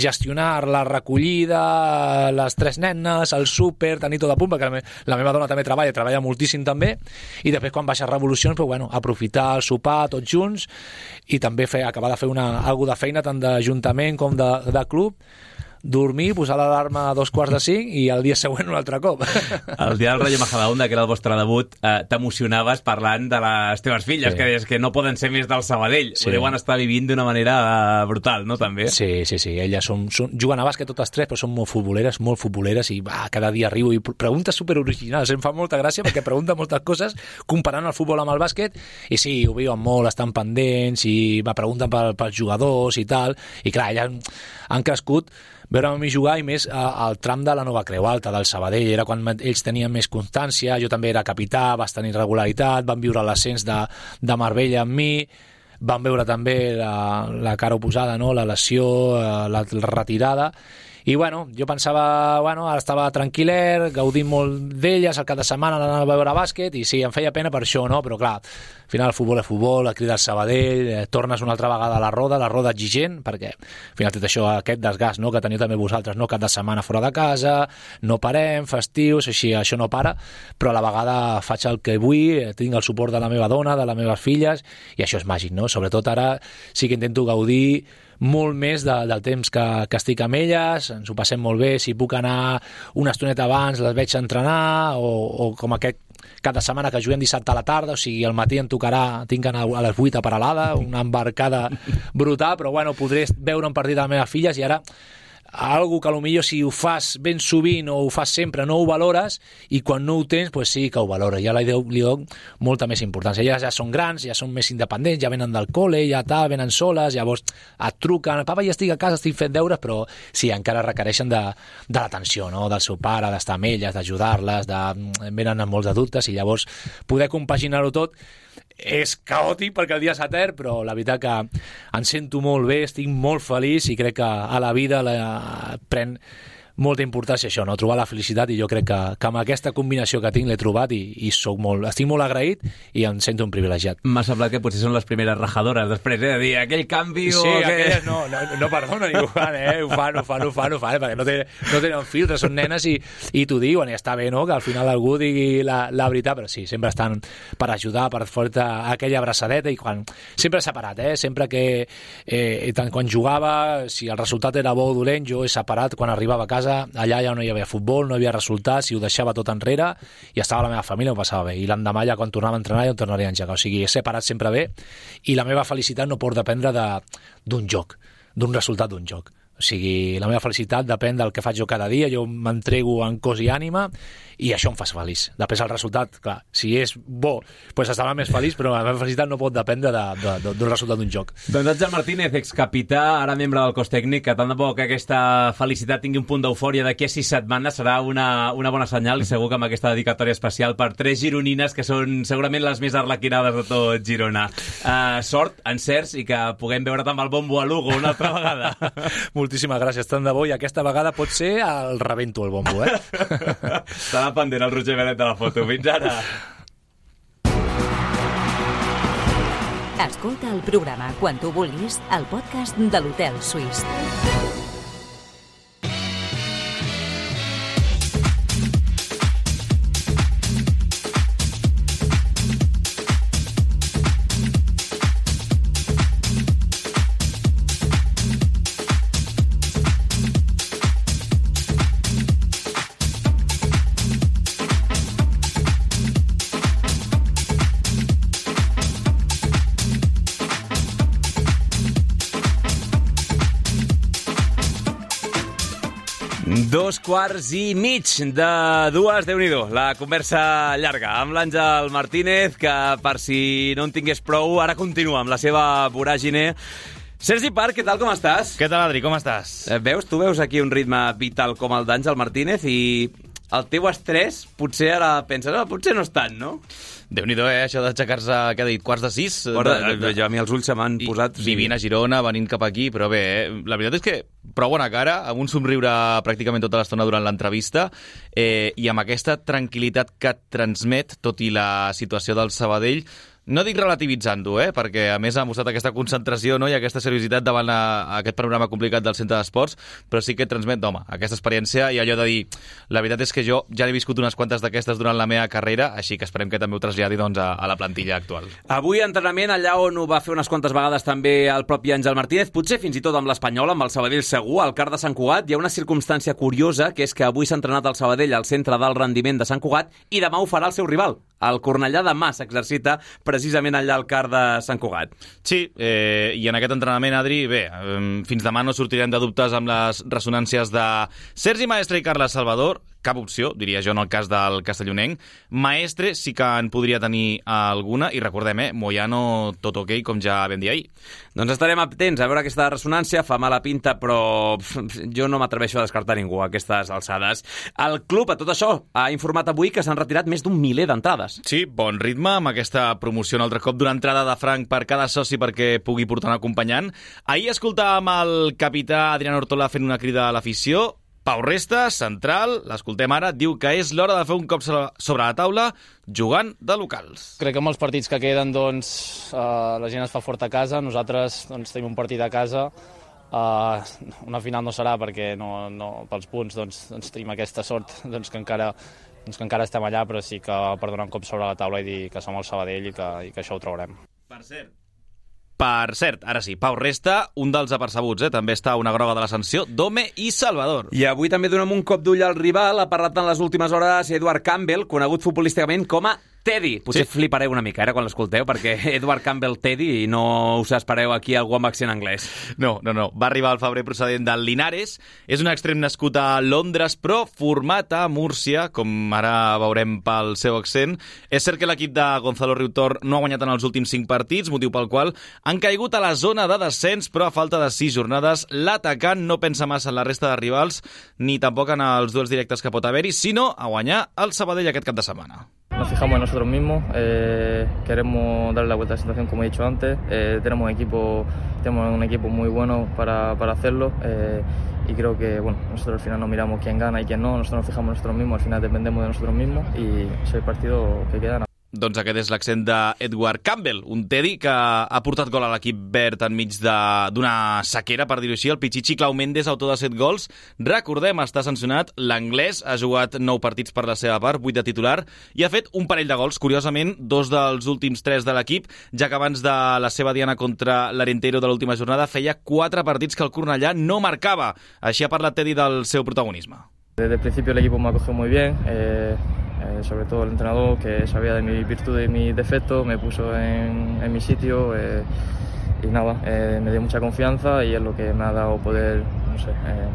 gestionar la recollida, les 3 nenes, el súper, tenir tot a punt, perquè la meva dona també treballa moltíssim també, i i després quan baixes revolucions, però, bueno, aprofitar el sopar tots junts i també acabar de fer alguna de feina tant d'Ajuntament com de club, dormir, posar l'alarma a 4:45 i el dia següent un altre cop. El dia del Rayo Majadahonda, que era el vostre debut, t'emocionaves parlant de les teves filles, que deies que no poden ser més del Sabadell. Ho deuen estar vivint d'una manera brutal, no, també? Sí. Elles juguen a bàsquet totes tres, però són molt futboleres i cada dia arribo i preguntes superoriginals. Em fa molta gràcia perquè pregunten moltes coses comparant el futbol amb el bàsquet i sí, ho viuen molt, estan pendents i me pregunten pels jugadors i tal. I clar, elles han crescut veure-me a mi jugar i més al tram de la Nova Creu Alta, del Sabadell. Era quan ells tenien més constància, jo també era capità, vas tenir regularitat, van viure l'ascens de Marbella amb mi, van veure també la cara oposada, no? La lesió, la retirada. I bueno, jo pensava, ara estava tranquil·ler, gaudint molt d'elles, al cap de setmana anava a veure bàsquet, i sí, em feia pena per això, no? Però clar, al final el futbol és futbol, a cridar el Sabadell, tornes una altra vegada a la roda exigent, perquè al final tot això, aquest desgast, no?, que teniu també vosaltres, no?, cap de setmana fora de casa, no parem, festius, així, això no para, però a la vegada faig el que vull, tinc el suport de la meva dona, de les meves filles, i això és màgic, no? Sobretot ara sí que intento gaudir molt més del temps que estic amb elles, ens ho passem molt bé, si puc anar una estoneta abans les veig entrenar, o com aquest cap de setmana que juguem dissabte a la tarda, o sigui, al matí em tocarà, tinc que anar a les 8 a Peralada, una embarcada brutal, però bueno, podré veure un partit de les meves filles, i ara algo que potser si ho fas ben sovint o ho fas sempre no ho valores, i quan no ho tens, pues sí que ho valores, ja li dono molta més importància. Elles ja són grans, ja són més independents, ja venen del col·le, ja venen soles, llavors et truquen, papa, ja estic a casa, estic fent deures, però sí, encara requereixen de l'atenció, no?, del seu pare, d'estar amb elles, d'ajudar-les, venen amb molts de dubtes, i llavors poder compaginar-ho tot és caòtic perquè el dia s'etern, però la veritat que em sento molt bé, estic molt feliç i crec que a la vida pren molta importància això, no?, trobar la felicitat, i jo crec que amb aquesta combinació que tinc l'he trobat i estic molt agraït i em sento un privilegiat. M'ha semblat que potser són les primeres rajadores després, de dir aquell canvi o... Sí, aquelles no perdonen, i ho fan, perquè no tenen filtres, són nenes i t'ho diuen, i està bé, no?, que al final algú digui la veritat, però sí, sempre estan per ajudar, per fer-te aquella abraçadeta, i sempre separat, sempre que tant quan jugava, si el resultat era bo o dolent, jo he separat quan arribava a casa, allà ja no hi havia futbol, no hi havia resultats, i ho deixava tot enrere i estava la meva família, ho passava bé, i l'endemà ja quan tornava a entrenar ja ho tornaria a engegar, o sigui, he separat sempre bé, i la meva felicitat no pot dependre d'un joc, d'un resultat d'un joc, o sigui, la meva felicitat depèn del que faig jo cada dia, jo m'entrego en cos i ànima, i això em fa feliç. Després el resultat, clar, si és bo, doncs estarà més feliç, però la meva felicitat no pot dependre d'un resultat d'un joc. Doncs Àngel Martínez, excapità, ara membre del cos tècnic, que tant de bo que aquesta felicitat tingui un punt d'eufòria d'aquí a 6 setmanes, serà una bona senyal, i segur que amb aquesta dedicatòria especial per 3 gironines, que són segurament les més arlequinades de tot Girona. Sort, encerts, i que puguem veure amb el bombo a Lugo una altra vegada. Moltíssimes gràcies, tant de bo, i aquesta vegada pot ser el rebento el bombo, Estarà pendent el Roger Benet de la foto. Fins ara. Escolta el programa quan tu vulguis al podcast de l'Hotel Suís. Dos quarts i mig de dues, Déu-n'hi-do, la conversa llarga amb l'Àngel Martínez, que per si no en tingués prou, ara continua amb la seva voràgine. Sergi Park, què tal, com estàs? Què tal, Adri, com estàs? Tu veus aquí un ritme vital com el d'Àngel Martínez, i el teu estrès potser ara penses, potser no és tant, no? Déu-n'hi-do, això d'aixecar-se, què ha dit, quarts de 6? Jo a mi els ulls se m'han posat... Vivint a Girona, venint cap aquí, però bé, la veritat és que prou bona cara, amb un somriure pràcticament tota l'estona durant l'entrevista, i amb aquesta tranquil·litat que et transmet, tot i la situació del Sabadell, No dic relativitzant-ho, perquè a més ha mostrat aquesta concentració, no? I aquesta seriositat davant aquest panorama complicat del centre d'esports, però sí que transmet, home, aquesta experiència i allò de dir, la veritat és que jo ja he viscut unes quantes d'aquestes durant la meva carrera, així que esperem que també ho traslladi doncs, a la plantilla actual. Avui entrenament allà on ho va fer unes quantes vegades també el propi Àngel Martínez, potser fins i tot amb l'Espanyol, amb el Sabadell segur, al CAR de Sant Cugat. Hi ha una circumstància curiosa, que és que avui s'ha entrenat el Sabadell al centre d'alt rendiment de Sant Cugat i demà ho farà el seu rival. El Cornellà demà s'exercita precisament allà al CAR de Sant Cugat. Sí, i en aquest entrenament, Adri, bé, fins demà no sortirem de dubtes amb les ressonàncies de Sergi Maestre i Carles Salvador. Cap opció, diria jo, en el cas del castellonenc. Maestre sí que en podria tenir alguna, i recordem, Moyano tot ok, com ja vam dir ahir. Doncs estarem atents a veure aquesta ressonància, fa mala pinta, però jo no m'atreveixo a descartar ningú a aquestes alçades. El club, a tot això, ha informat avui que s'han retirat més d'1 miler d'entrades. Sí, bon ritme, amb aquesta promoció un altre cop d'una entrada de franc per cada soci perquè pugui portar un acompanyant. Ahir escoltàvem el capità Adrián Ortola fent una crida a l'afició. Pau Resta, central, l'escoltem ara, diu que és l'hora de fer un cop sobre la taula jugant de locals. Crec que amb els partits que queden la gent es fa fort a casa, nosaltres tenim un partit a casa, una final no serà perquè no pels punts tenim aquesta sort que encara estem allà, però sí que per donar un cop sobre la taula i dir que som el Sabadell i que això ho traurem. Per cert, ara sí, Pau Resta, un dels apercebuts, també està una groga de la sanció, Dome i Salvador. I avui també donem un cop d'ull al rival. Ha parlat en les últimes hores Edward Campbell, conegut futbolísticament com a Teddy. Potser flipareu una mica quan l'escolteu, perquè Edward Campbell Teddy i no us espereu aquí algú amb accent anglès. No. Va arribar al febrer procedent del Linares. És un extrem nascut a Londres, però format a Múrcia, com ara veurem pel seu accent. És cert que l'equip de Gonzalo Riutor no ha guanyat en els últims 5 partits, motiu pel qual han caigut a la zona de descens, però a falta de 6 jornades, l'atacant no pensa massa en la resta de rivals, ni tampoc en els duels directes que pot haver-hi, sinó a guanyar el Sabadell aquest cap de setmana. Nos fijamos en nosotros mismos, queremos darle la vuelta a la situación como he dicho antes, tenemos un equipo muy bueno para hacerlo y creo que nosotros al final no miramos quién gana y quién no, nosotros nos fijamos en nosotros mismos, al final dependemos de nosotros mismos y es el partido que queda. Doncs aquest és l'accent d'Edward Campbell, un Teddy que ha portat gol a l'equip verd enmig d'una sequera, per dir-ho així. El Pichichi Clau Méndez, autor de 7 gols. Recordem, està sancionat. L'anglès ha jugat 9 partits per la seva part, 8 de titular, i ha fet un parell de gols. Curiosament, 2 dels últims 3 de l'equip, ja que abans de la seva diana contra l'Arenteiro de l'última jornada feia 4 partits que el Cornellà no marcava. Així ha parlat Teddy del seu protagonisme. Desde el principio el equipo me acogió muy bien, sobre todo el entrenador que sabía de mi virtud y mi defecto, me puso en mi sitio y nada, me dio mucha confianza y es lo que me ha dado poder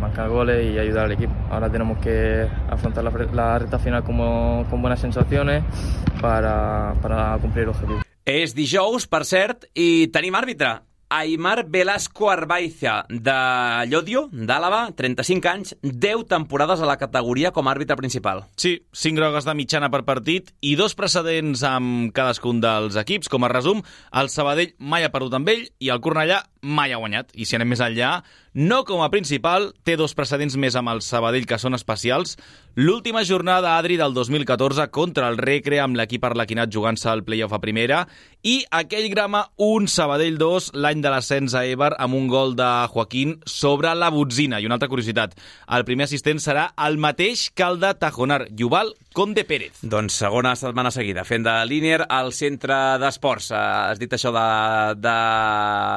marcar goles y ayudar al equipo. Ahora tenemos que afrontar la recta final con buenas sensaciones para cumplir el objetivo. És dijous, per cert, i tenim àrbitre. Aimar Velasco Arbaiza, de Llodio, d'Àlava, 35 anys, 10 temporades a la categoria com a àrbitre principal. Sí, 5 grogues de mitjana per partit i 2 precedents amb cadascun dels equips. Com a resum, el Sabadell mai ha perdut amb ell i el Cornellà mai ha guanyat. I si anem més enllà, no com a principal, té 2 precedents més amb el Sabadell que són especials. L'última jornada, Adri, del 2014 contra el Recre, amb l'equip arlequinat jugant-se al play-off a primera, i aquell grama 1, Sabadell 2, l'any de l'ascens a Eibar, amb un gol de Joaquín sobre la botzina. I una altra curiositat, el primer assistent serà el mateix que el de Tajonar, Yuval Conde Pérez. Doncs segona setmana seguida, fent de línier al centre d'esports. Has dit això de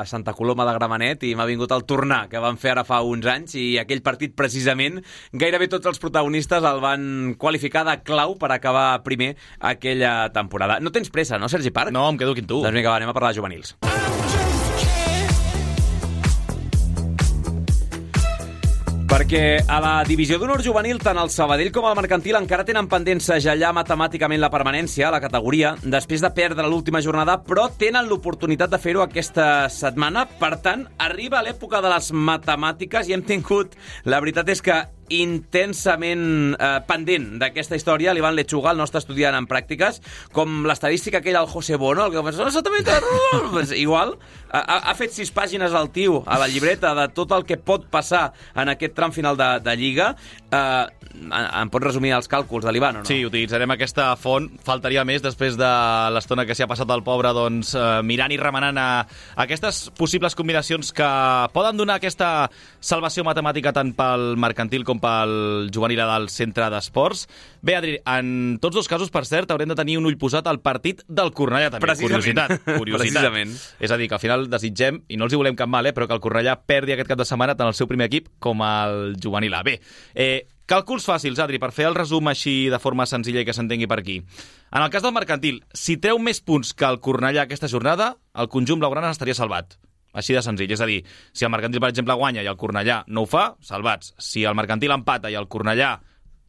Santa Coloma de Gramenet i m'ha vingut el tornar que van fer ara fa uns anys, i aquell partit precisament gairebé tots els protagonistes el van qualificar de clau per acabar primer aquella temporada. No tens pressa, no, Sergi Parc? No, em quedo aquí amb tu. Doncs vinga, anem a parlar de juvenils. Perquè a la divisió d'honor juvenil, tant el Sabadell com el Mercantil encara tenen pendent segellar matemàticament la permanència a la categoria després de perdre l'última jornada, però tenen l'oportunitat de fer-ho aquesta setmana. Per tant, arriba l'època de les matemàtiques i hem tingut, la veritat és que intensament pendent d'aquesta història, l'Ivan Lechuga, el nostre estudiant en pràctiques, com l'estadística aquella del José Bono, el que pensa, pues, igual, ha fet 6 pàgines al tio a la llibreta de tot el que pot passar en aquest tram final de Lliga. Em pots resumir els càlculs de l'Ivan, o no? Sí, utilitzarem aquesta font. Faltaria més després de l'estona que s'hi ha passat el pobre, doncs, mirant i remenant aquestes possibles combinacions que poden donar aquesta salvació matemàtica tant pel mercantil com pel juvenil del centre d'esports. Bé, Adri, en tots dos casos, per cert, haurem de tenir un ull posat al partit del Cornellà, també. Precisament. Curiositat. Precisament. És a dir, que al final desitgem, i no els hi volem cap mal, però que el Cornellà perdi aquest cap de setmana tant el seu primer equip com el juvenil A. Bé, càlculs fàcils, Adri, per fer el resum així de forma senzilla i que s'entengui per aquí. En el cas del mercantil, si treu més punts que el Cornellà aquesta jornada, el conjunt blaugrana estaria salvat. Així de senzill. És a dir, si el mercantil, per exemple, guanya i el Cornellà no ho fa, salvats. Si el mercantil empata i el Cornellà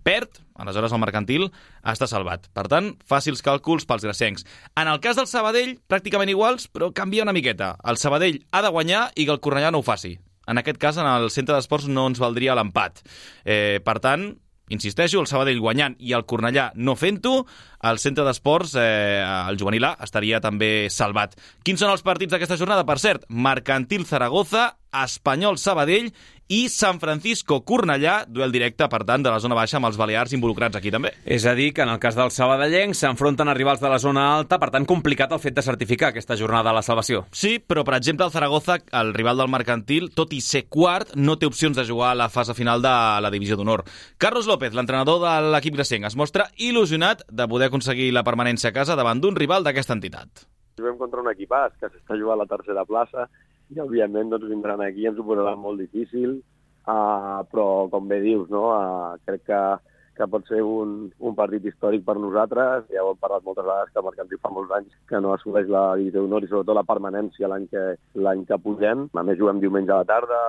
perd, aleshores el mercantil està salvat. Per tant, fàcils càlculs pels gracencs. En el cas del Sabadell, pràcticament iguals, però canvia una miqueta. El Sabadell ha de guanyar i que el Cornellà no ho faci. En aquest cas, en el centre d'esports no ens valdria l'empat. Per tant, insisteixo, el Sabadell guanyant i el Cornellà no fent-ho, el centre d'esports, el juvenil A, estaria també salvat. Quins són els partits d'aquesta jornada? Per cert, Mercantil Zaragoza, Espanyol Sabadell i San Francisco Cornellà, duel directe, per tant, de la zona baixa amb els balears involucrats aquí també. És a dir, que en el cas dels sabadellencs s'enfronten a rivals de la zona alta, per tant, complicat el fet de certificar aquesta jornada de la salvació. Sí, però, per exemple, el Zaragoza, el rival del mercantil, tot i ser quart, no té opcions de jugar a la fase final de la divisió d'honor. Carlos López, l'entrenador de l'equip gracenc, es mostra il·lusionat de poder aconseguir la permanència a casa davant d'un rival d'aquesta entitat. Juguem contra un equipàs que s'està jugant a la tercera plaça i, òbviament, doncs, vindran aquí i ens ho posaran molt difícil, però, com bé dius, no? Crec que pot ser un partit històric per nosaltres. Ja ho hem parlat moltes vegades, que el mercantil fa molts anys que no assoleix la divisió d'honor i, sobretot, la permanència l'any que pugem. A més, juguem diumenge a la tarda,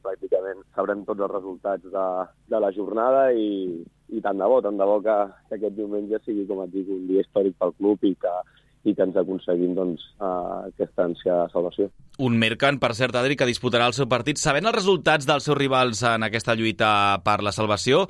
pràcticament sabrem tots els resultats de la jornada i tant de bo que aquest diumenge sigui, com et dic, un dia històric pel club i que ens aconseguim, doncs, aquesta ànsia de salvació. Un Mercant, per cert, Adri, que disputarà el seu partit sabent els resultats dels seus rivals en aquesta lluita per la salvació.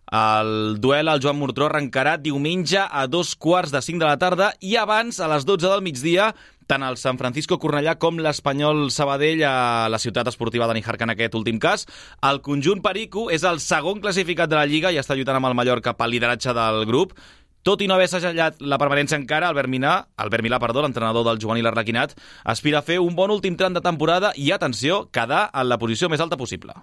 El duel al Joan Murtró arrencarà diumenge a 2:45 de la tarda i abans, a les 12 del migdia, tant el San Francisco Cornellà com l'Espanyol Sabadell a la ciutat esportiva de Níjar, en aquest últim cas. El conjunt perico és el segon classificat de la Lliga i està lluitant amb el Mallorca pel lideratge del grup. Tot i no haver assajallat la permanència encara, Albert Milà, l'entrenador del juvenil arlequinat, aspira a fer un bon últim tram de temporada i, atenció, quedar en la posició més alta possible.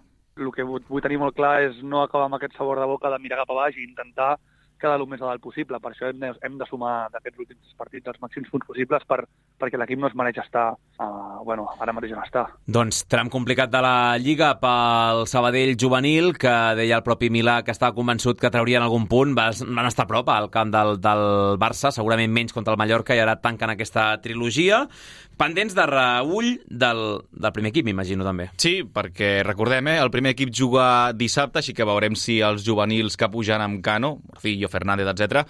El que vull tenir molt clar és no acabar amb aquest sabor de boca de mirar cap a baix i intentar quedar el més a dalt possible. Per això hem de sumar d'aquests últims partits els màxims punts possibles perquè l'equip no es mereix estar ara mateix on està. Doncs tram complicat de la Lliga pel Sabadell juvenil, que deia el propi Milà que estava convençut que traurien algun punt. Van estar a prop al camp del Barça, segurament menys contra el Mallorca, i ara tanquen aquesta trilogia. Pendents de reull del primer equip, m'imagino, també. Sí, perquè recordem, el primer equip juga dissabte, així que veurem si els juvenils que pugen amb Cano, Morcillo, Fernández, etc.,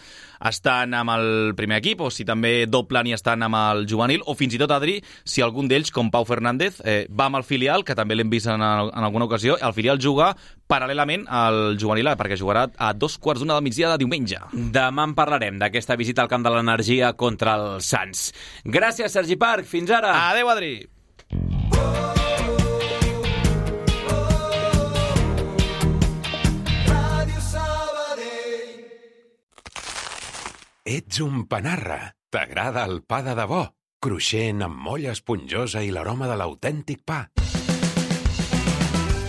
estan amb el primer equip, o si també doblen i estan amb el juvenil, o fins i tot, Adri, si algun d'ells, com Pau Fernández, va amb el filial, que també l'hem vist en alguna ocasió, el filial juga paral·lelament al juvenil, perquè jugarà a 2:15 del migdia de diumenge. Demà en parlarem d'aquesta visita al camp de l'Energia contra el Sants. Gràcies, Sergi Parc. Fins ara. Adéu, Adri. Ets un panarra. T'agrada el pa de debò? Cruixent, amb molla esponjosa i l'aroma de l'autèntic pa.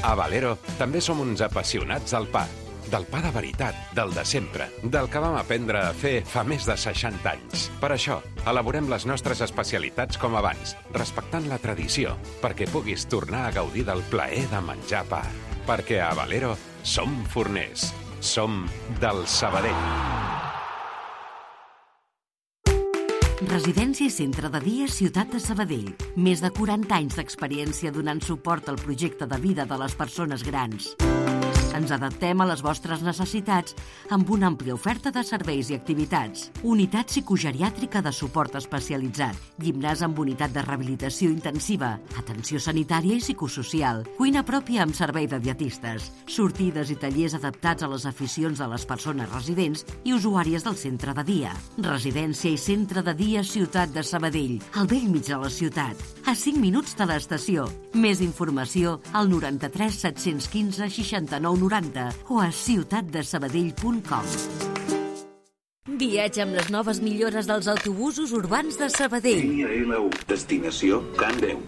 A Valero també som uns apassionats del pa. Del pa de veritat, del de sempre, del que vam aprendre a fer fa més de 60 anys. Per això, elaborem les nostres especialitats com abans, respectant la tradició, perquè puguis tornar a gaudir del plaer de menjar pa. Perquè a Valero som forners. Som del Sabadell. Residència i centre de dia Ciutat de Sabadell. Més de 40 anys d'experiència donant suport al projecte de vida de les persones grans. Ens adaptem a les vostres necessitats amb una àmplia oferta de serveis i activitats. Unitat psicogeriàtrica de suport especialitzat, gimnàs amb unitat de rehabilitació intensiva, atenció sanitària i psicosocial, cuina pròpia amb servei de dietistes, sortides i tallers adaptats a les aficions de les persones residents i usuàries del centre de dia. Residència i centre de dia Ciutat de Sabadell, al bell mig de la ciutat, a 5 minuts de l'estació. Més informació al 93 715 69 90 o a ciutatdesabadell.com. Viatge amb les noves millores dels autobusos urbans de Sabadell. Línia L1, destinació Can Déu.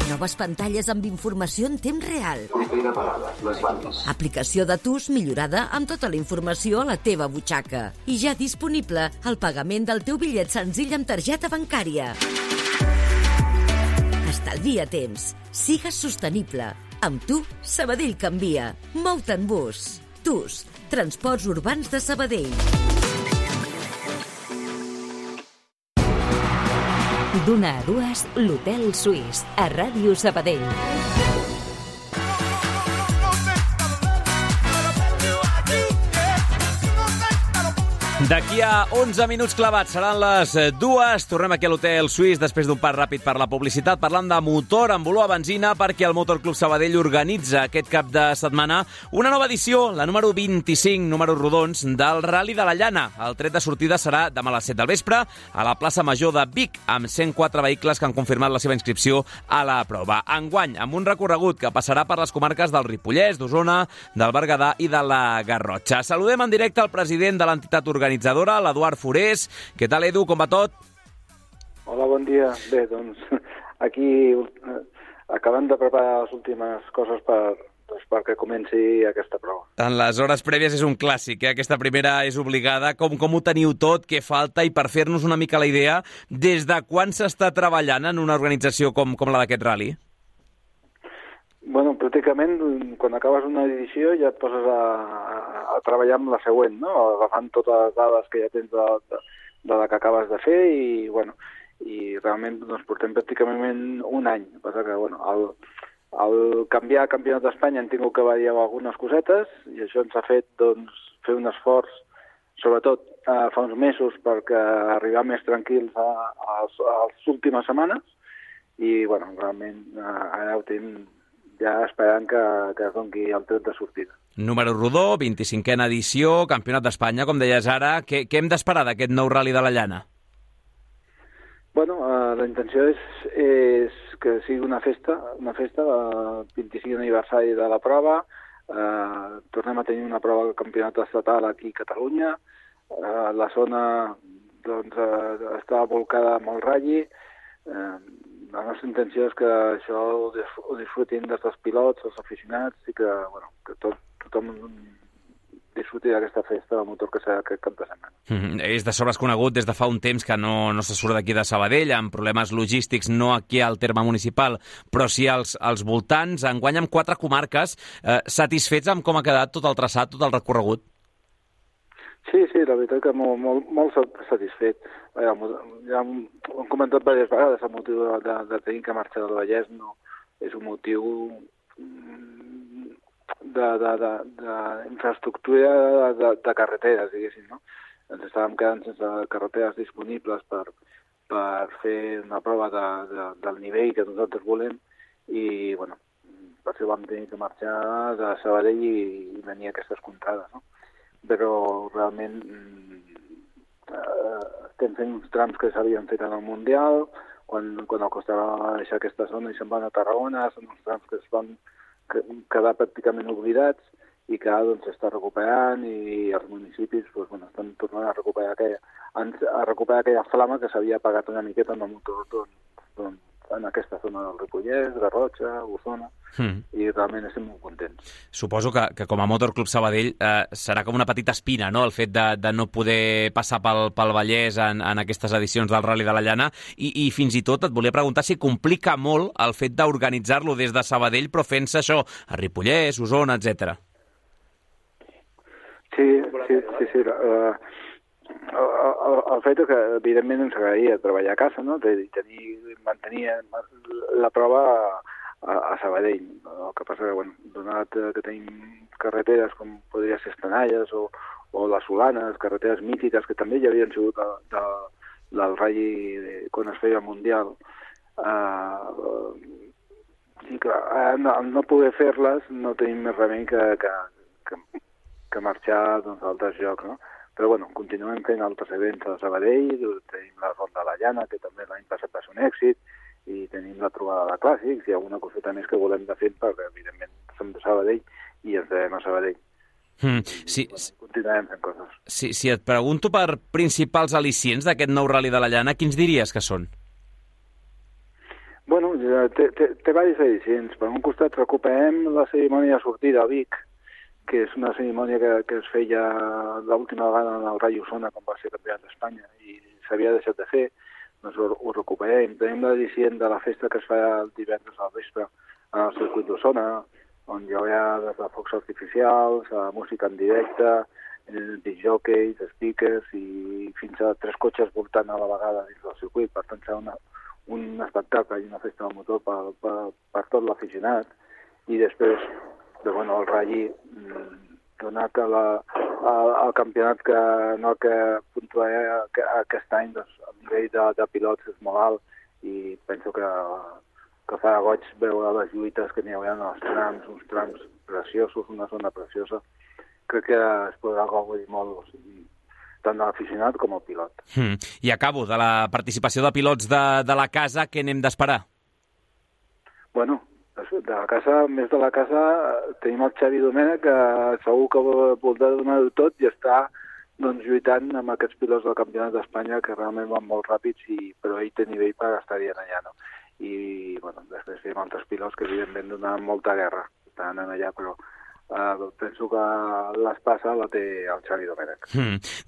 Noves pantalles amb informació en temps real. Propera parada, les bandes. Aplicació de TUS millorada amb tota la informació a la teva butxaca. I ja disponible el pagament del teu bitllet senzill amb targeta bancària. Estalvia temps. Sigues sostenible. Amb tu, Sabadell canvia. Mou-te en bus. TUS, Transports Urbans de Sabadell. D'una a dues, l'Hotel Suís, a Ràdio Sabadell. D'aquí a 11 minuts clavats seran les 2. Tornem aquí a l'Hotel Suís després d'un pas ràpid per la publicitat, parlant de motor amb olor a benzina, perquè el Motor Club Sabadell organitza aquest cap de setmana una nova edició, la número 25, números rodons, del Rally de la Llana. El tret de sortida serà demà a les 7 del vespre a la plaça Major de Vic, amb 104 vehicles que han confirmat la seva inscripció a la prova. Enguany, amb un recorregut que passarà per les comarques del Ripollès, d'Osona, del Berguedà i de la Garrotxa. Saludem en directe el president de l'entitat organitzadora, l'Eduard Forés. Què tal, Edu? Com va tot? Hola, bon dia. Bé, doncs, aquí acabant de preparar les últimes coses perquè comenci aquesta prova. En les hores prèvies és un clàssic, Aquesta primera és obligada. Com ho teniu tot? Què falta? I per fer-nos una mica la idea, des de quan s'està treballant en una organització com la d'aquest rally? Bueno, pràcticament, quan acabes una edició ja et poses a treballar amb la següent, no? Agafant totes les dades que ja tens de la que acabes de fer i, bueno, i realment doncs, portem pràcticament un any. El que passa que, bueno, al canviar Campionat d'Espanya hem tingut que variar algunes cosetes i això ens ha fet, doncs, fer un esforç, sobretot fa uns mesos, perquè arribar més tranquils a les últimes setmanes i, bueno, realment ara ho tenim ja esperant que es doni el tret de sortida. Número rodó, 25a edició, Campionat d'Espanya, com deies ara. Què hem d'esperar d'aquest nou Rally de la Llana? Bueno, la intenció és que sigui una festa, el 25 aniversari de la prova. Tornem a tenir una prova de campionat estatal aquí a Catalunya. La zona doncs, està volcada amb el Rally. La nostra intenció és que això ho disfrutin des dels pilots, els aficionats, i que, bueno, que tothom disfruti d'aquesta festa de motor que serà aquest cap de setmana. És de sobres conegut des de fa un temps que no se surt d'aquí de Sabadell, amb problemes logístics, no aquí al terme municipal, però sí als voltants. Enguany amb 4 comarques, satisfets amb com ha quedat tot el traçat, tot el recorregut? Sí, la veritat que molt satisfet. Ja hem comentat diverses vegades, el motiu de tenir que marxar del Vallès no és un motiu d'infraestructura de carreteres, diguéssim, no? Ens estàvem quedant sense carreteres disponibles per fer una prova del nivell que nosaltres volem i, bueno, per això vam tenir que marxar de Sabadell i venir a aquestes contrades, no? Però realment estem fent uns trams que s'havien fet en el Mundial, quan el Costa va deixar aquesta zona i se'n van a Tarragona, són uns trams que es van quedar pràcticament oblidats i que ara doncs, s'està recuperant i els municipis doncs, bueno, estan tornant a recuperar aquella flama que s'havia apagat una miqueta en el motor doncs, en aquesta zona del Ripollès, Garrotxa, Osona, i realment estem molt contents. Suposo que com a Motor Club Sabadell serà com una petita espina, no?, el fet de no poder passar pel Vallès en aquestes edicions del Rally de la Llana, i fins i tot et volia preguntar si complica molt el fet d'organitzar-lo des de Sabadell, però fent-se això a Ripollès, Osona, etc. Sí. El fet que, evidentment, ens agradaria treballar a casa, no? Mantenir la prova a Sabadell. El que passa que, bueno, donat que tenim carreteres com podria ser Estanalles o les Solanes, carreteres mítiques que també ja havien sigut del Rally quan es feia el Mundial, i que al no poder fer-les no tenim més remei que marxar doncs, a altres llocs, no? Però bueno, continuem fent altres events a Sabadell, tenim la Ronda de la Llana, que també l'any passat va ser un èxit, i tenim la trobada de clàssics i alguna coseta més que volem de fer, perquè evidentment som de Sabadell i ens devem a Sabadell. Continuem fent coses. Si et pregunto per principals al·licients d'aquest nou Rally de la Llana, quins diries que són? Bueno, té diversos al·licients. Per un costat recuperem la cerimònia de sortida a Vic, que és una cerimònia que es feia l'última vegada en el Rally Osona, quan va ser campionat d'Espanya, i s'havia deixat de fer, doncs ho recuperem. Tenim l'al·licient de la festa que es fa el divendres al vespre en el circuit d'Osona, on hi haurà des de focs artificials, música en directe, discjòqueis, speakers i fins a 3 cotxes voltant a la vegada dins del circuit. Per tant, serà un espectacle i una festa del motor per tot l'aficionat. I després, bueno, el Rally, donat al campionat que puntuarà aquest any, doncs, el nivell de pilots és molt alt i penso que farà goig veure les lluites que n'hi haurà en els trams, uns trams preciosos, una zona preciosa. Crec que es podrà gaudir molt, tant de l'aficionat com el pilot. I acabo, de la participació de pilots de la casa, què n'hem d'esperar? Bueno, de la casa, més de la casa, tenim el Xavi Domènech, que segur que voldrà donar-ho tot i està doncs, lluitant amb aquests pilots del Campionat d'Espanya que realment van molt ràpids, però ell té nivell per estar-hi allà, no? I bueno, després tenim altres pilots que evidentment donen molta guerra, estan allà, però penso que l'espasa la té el Xavi Domènech.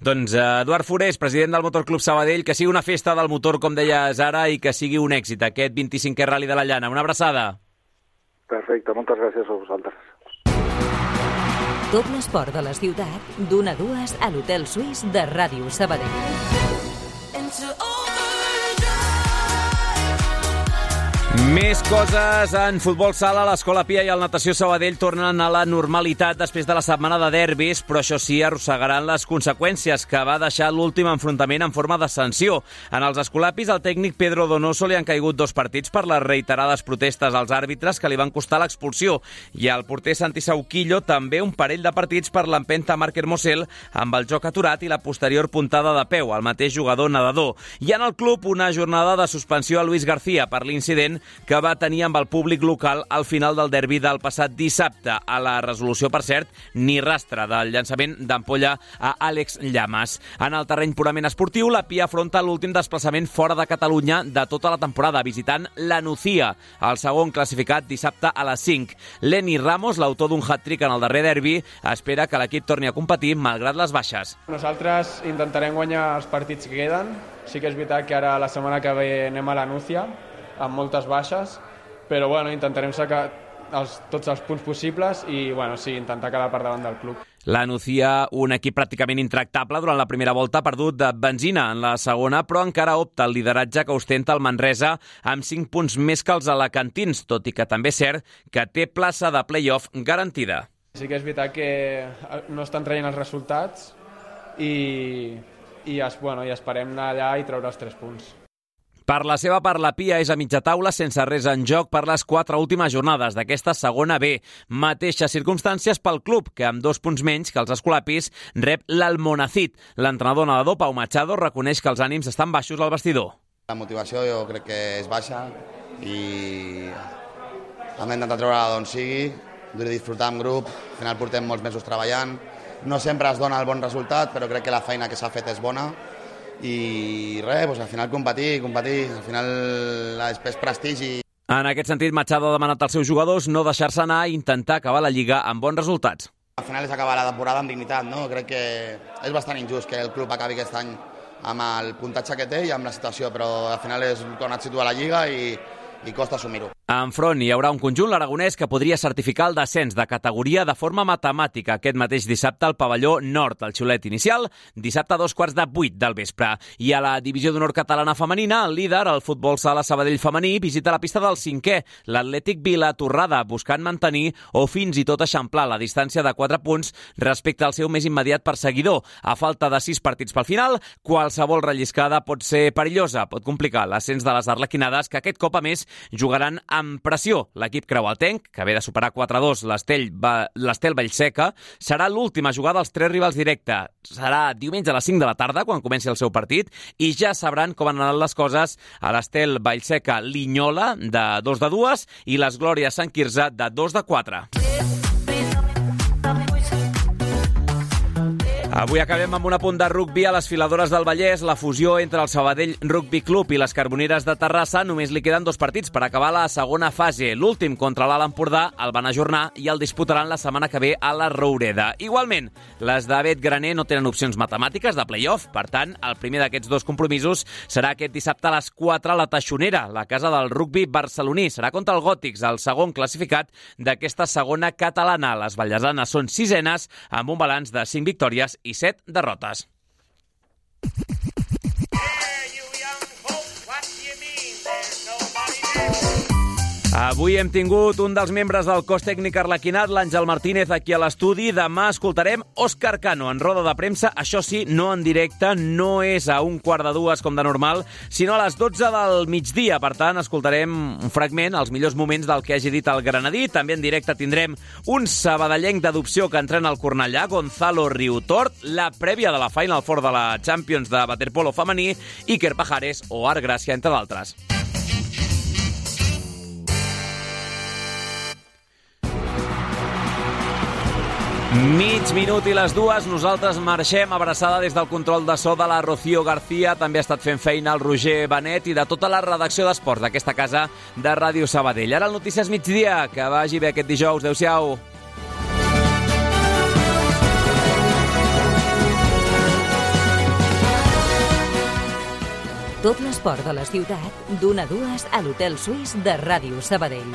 Doncs Eduard Forés, president del Motor Club Sabadell, que sigui una festa del motor, com deies ara, i que sigui un èxit aquest 25è Rally de la Llana. Una abraçada. Perfecte, moltes gràcies a vosaltres. Tot l'esport de la ciutat, d'1 a 2 a l'Hotel Suís de Ràdio Sabadell. Més coses en futbol sala. L'Escola Pia i el Natació Sabadell tornen a la normalitat després de la setmana de derbis, però això sí, arrossegaran les conseqüències que va deixar l'últim enfrontament en forma de sanció. En els escolapis, al tècnic Pedro Donoso li han caigut 2 partits per les reiterades protestes als àrbitres que li van costar l'expulsió, i al porter Santi Sauquillo també un parell de partits per l'empenta Marc Hermosel amb el joc aturat i la posterior puntada de peu al mateix jugador nedador. I en el club, una jornada de suspensió a Luis García per l'incident que va tenir amb el públic local al final del derbi del passat dissabte. A la resolució, per cert, ni rastre del llançament d'ampolla a Àlex Llamas. En el terreny purament esportiu, la Pia afronta l'últim desplaçament fora de Catalunya de tota la temporada, visitant la Nucía, el segon classificat dissabte a les 5. Lenny Ramos, l'autor d'un hat-trick en el darrer derbi, espera que l'equip torni a competir malgrat les baixes. Nosaltres intentarem guanyar els partits que queden. Sí que és veritat que ara la setmana que ve anem a la Nucía, amb moltes baixes, però bueno, intentarem sacar tots els punts possibles i bueno, sí, intentar quedar per davant del club. La Nucía, un equip pràcticament intractable durant la primera volta, ha perdut de benzina en la segona, però encara opta el lideratge que ostenta el Manresa amb 5 punts més que els alacantins, tot i que també és cert que té plaça de play-off garantida. Sí que és veritat que no estan traient els resultats i esperem anar allà i treure els 3 punts. Per la seva part, la Pia és a mitja taula sense res en joc per les 4 últimes jornades d'aquesta segona B. Mateixes circumstàncies pel club, que amb 2 punts menys que els escolapis rep l'Almonacid. L'entrenador nedador Pau Machado reconeix que els ànims estan baixos al vestidor. La motivació jo crec que és baixa i hem d'intentar treure d'on sigui, de disfrutar en grup. Al final portem molts mesos treballant. No sempre es dona el bon resultat, però crec que la feina que s'ha fet és bona. I res, doncs al final competir, al final és prestigi. En aquest sentit, Machado ha demanat als seus jugadors no deixar-se anar i intentar acabar la Lliga amb bons resultats. Al final és acabar la temporada amb dignitat, no? Crec que és bastant injust que el club acabi aquest any amb el puntatge que té i amb la situació, però al final és tornar a situar la Lliga i costa assumir-ho. Enfront hi haurà un conjunt l'Aragonès que podria certificar el descens de categoria de forma matemàtica aquest mateix dissabte al pavelló nord. El xiulet inicial, dissabte a 7:15 del vespre. I a la divisió d'honor catalana femenina, el líder, el futbol sala Sabadell femení, visita la pista del 5è, l'Atlètic Vilatorrada, buscant mantenir o fins i tot eixamplar la distància de 4 punts respecte al seu més immediat perseguidor. A falta de 6 partits pel final, qualsevol relliscada pot ser perillosa, pot complicar l'ascens de les arlequinades, que aquest cop a més jugaran amb pressió. L'equip creuatenc, que ve de superar 4-2 l'Estel Vallseca, serà l'última jugada dels 3 rivals directe. Serà diumenge a les 5 de la tarda, quan comenci el seu partit, i ja sabran com han anat les coses a l'Estel Vallseca Linyola, de 2-2, i les Glòries Sant Quirze, de 2-4. Avui acabem amb un apunt de rugbi a les Filadores del Vallès. La fusió entre el Sabadell Rugby Club i les Carboneres de Terrassa només li queden 2 partits per acabar la segona fase. L'últim contra l'Alt Empordà el van ajornar i el disputaran la setmana que ve a la Roureda. Igualment, les de Bet Graner no tenen opcions matemàtiques de play-off. Per tant, el primer d'aquests 2 compromisos serà aquest dissabte a les 4 a la Taixonera, la casa del rugbi barceloní. Serà contra el Gòtics, el segon classificat d'aquesta segona catalana. Les vallesanes són 6enes amb un balanç de 5 victòries i 7 derrotes. Avui hem tingut un dels membres del cos tècnic arlequinat, l'Àngel Martínez, aquí a l'estudi. Demà escoltarem Òscar Cano en roda de premsa, això sí, no en directe, no és a 1:15 com de normal, sinó a les 12 del migdia. Per tant, escoltarem un fragment, els millors moments del que hagi dit el granadí. També en directe tindrem un sabadellenc d'adopció que entrena al Cornellà, Gonzalo Riutort, la prèvia de la Final Four de la Champions de waterpolo femení, Iker Pajares o Art Gràcia, entre d'altres. Mig minut i les 2, nosaltres marxem abraçada des del control de so de la Rocío García, també ha estat fent feina el Roger Benet i de tota la redacció d'esports d'aquesta casa de Ràdio Sabadell. Ara el Notícies Migdia, que vagi bé aquest dijous. Adéu-siau. Tot l'esport de la ciutat, d'1 a 2 a l'Hotel Suís de Ràdio Sabadell.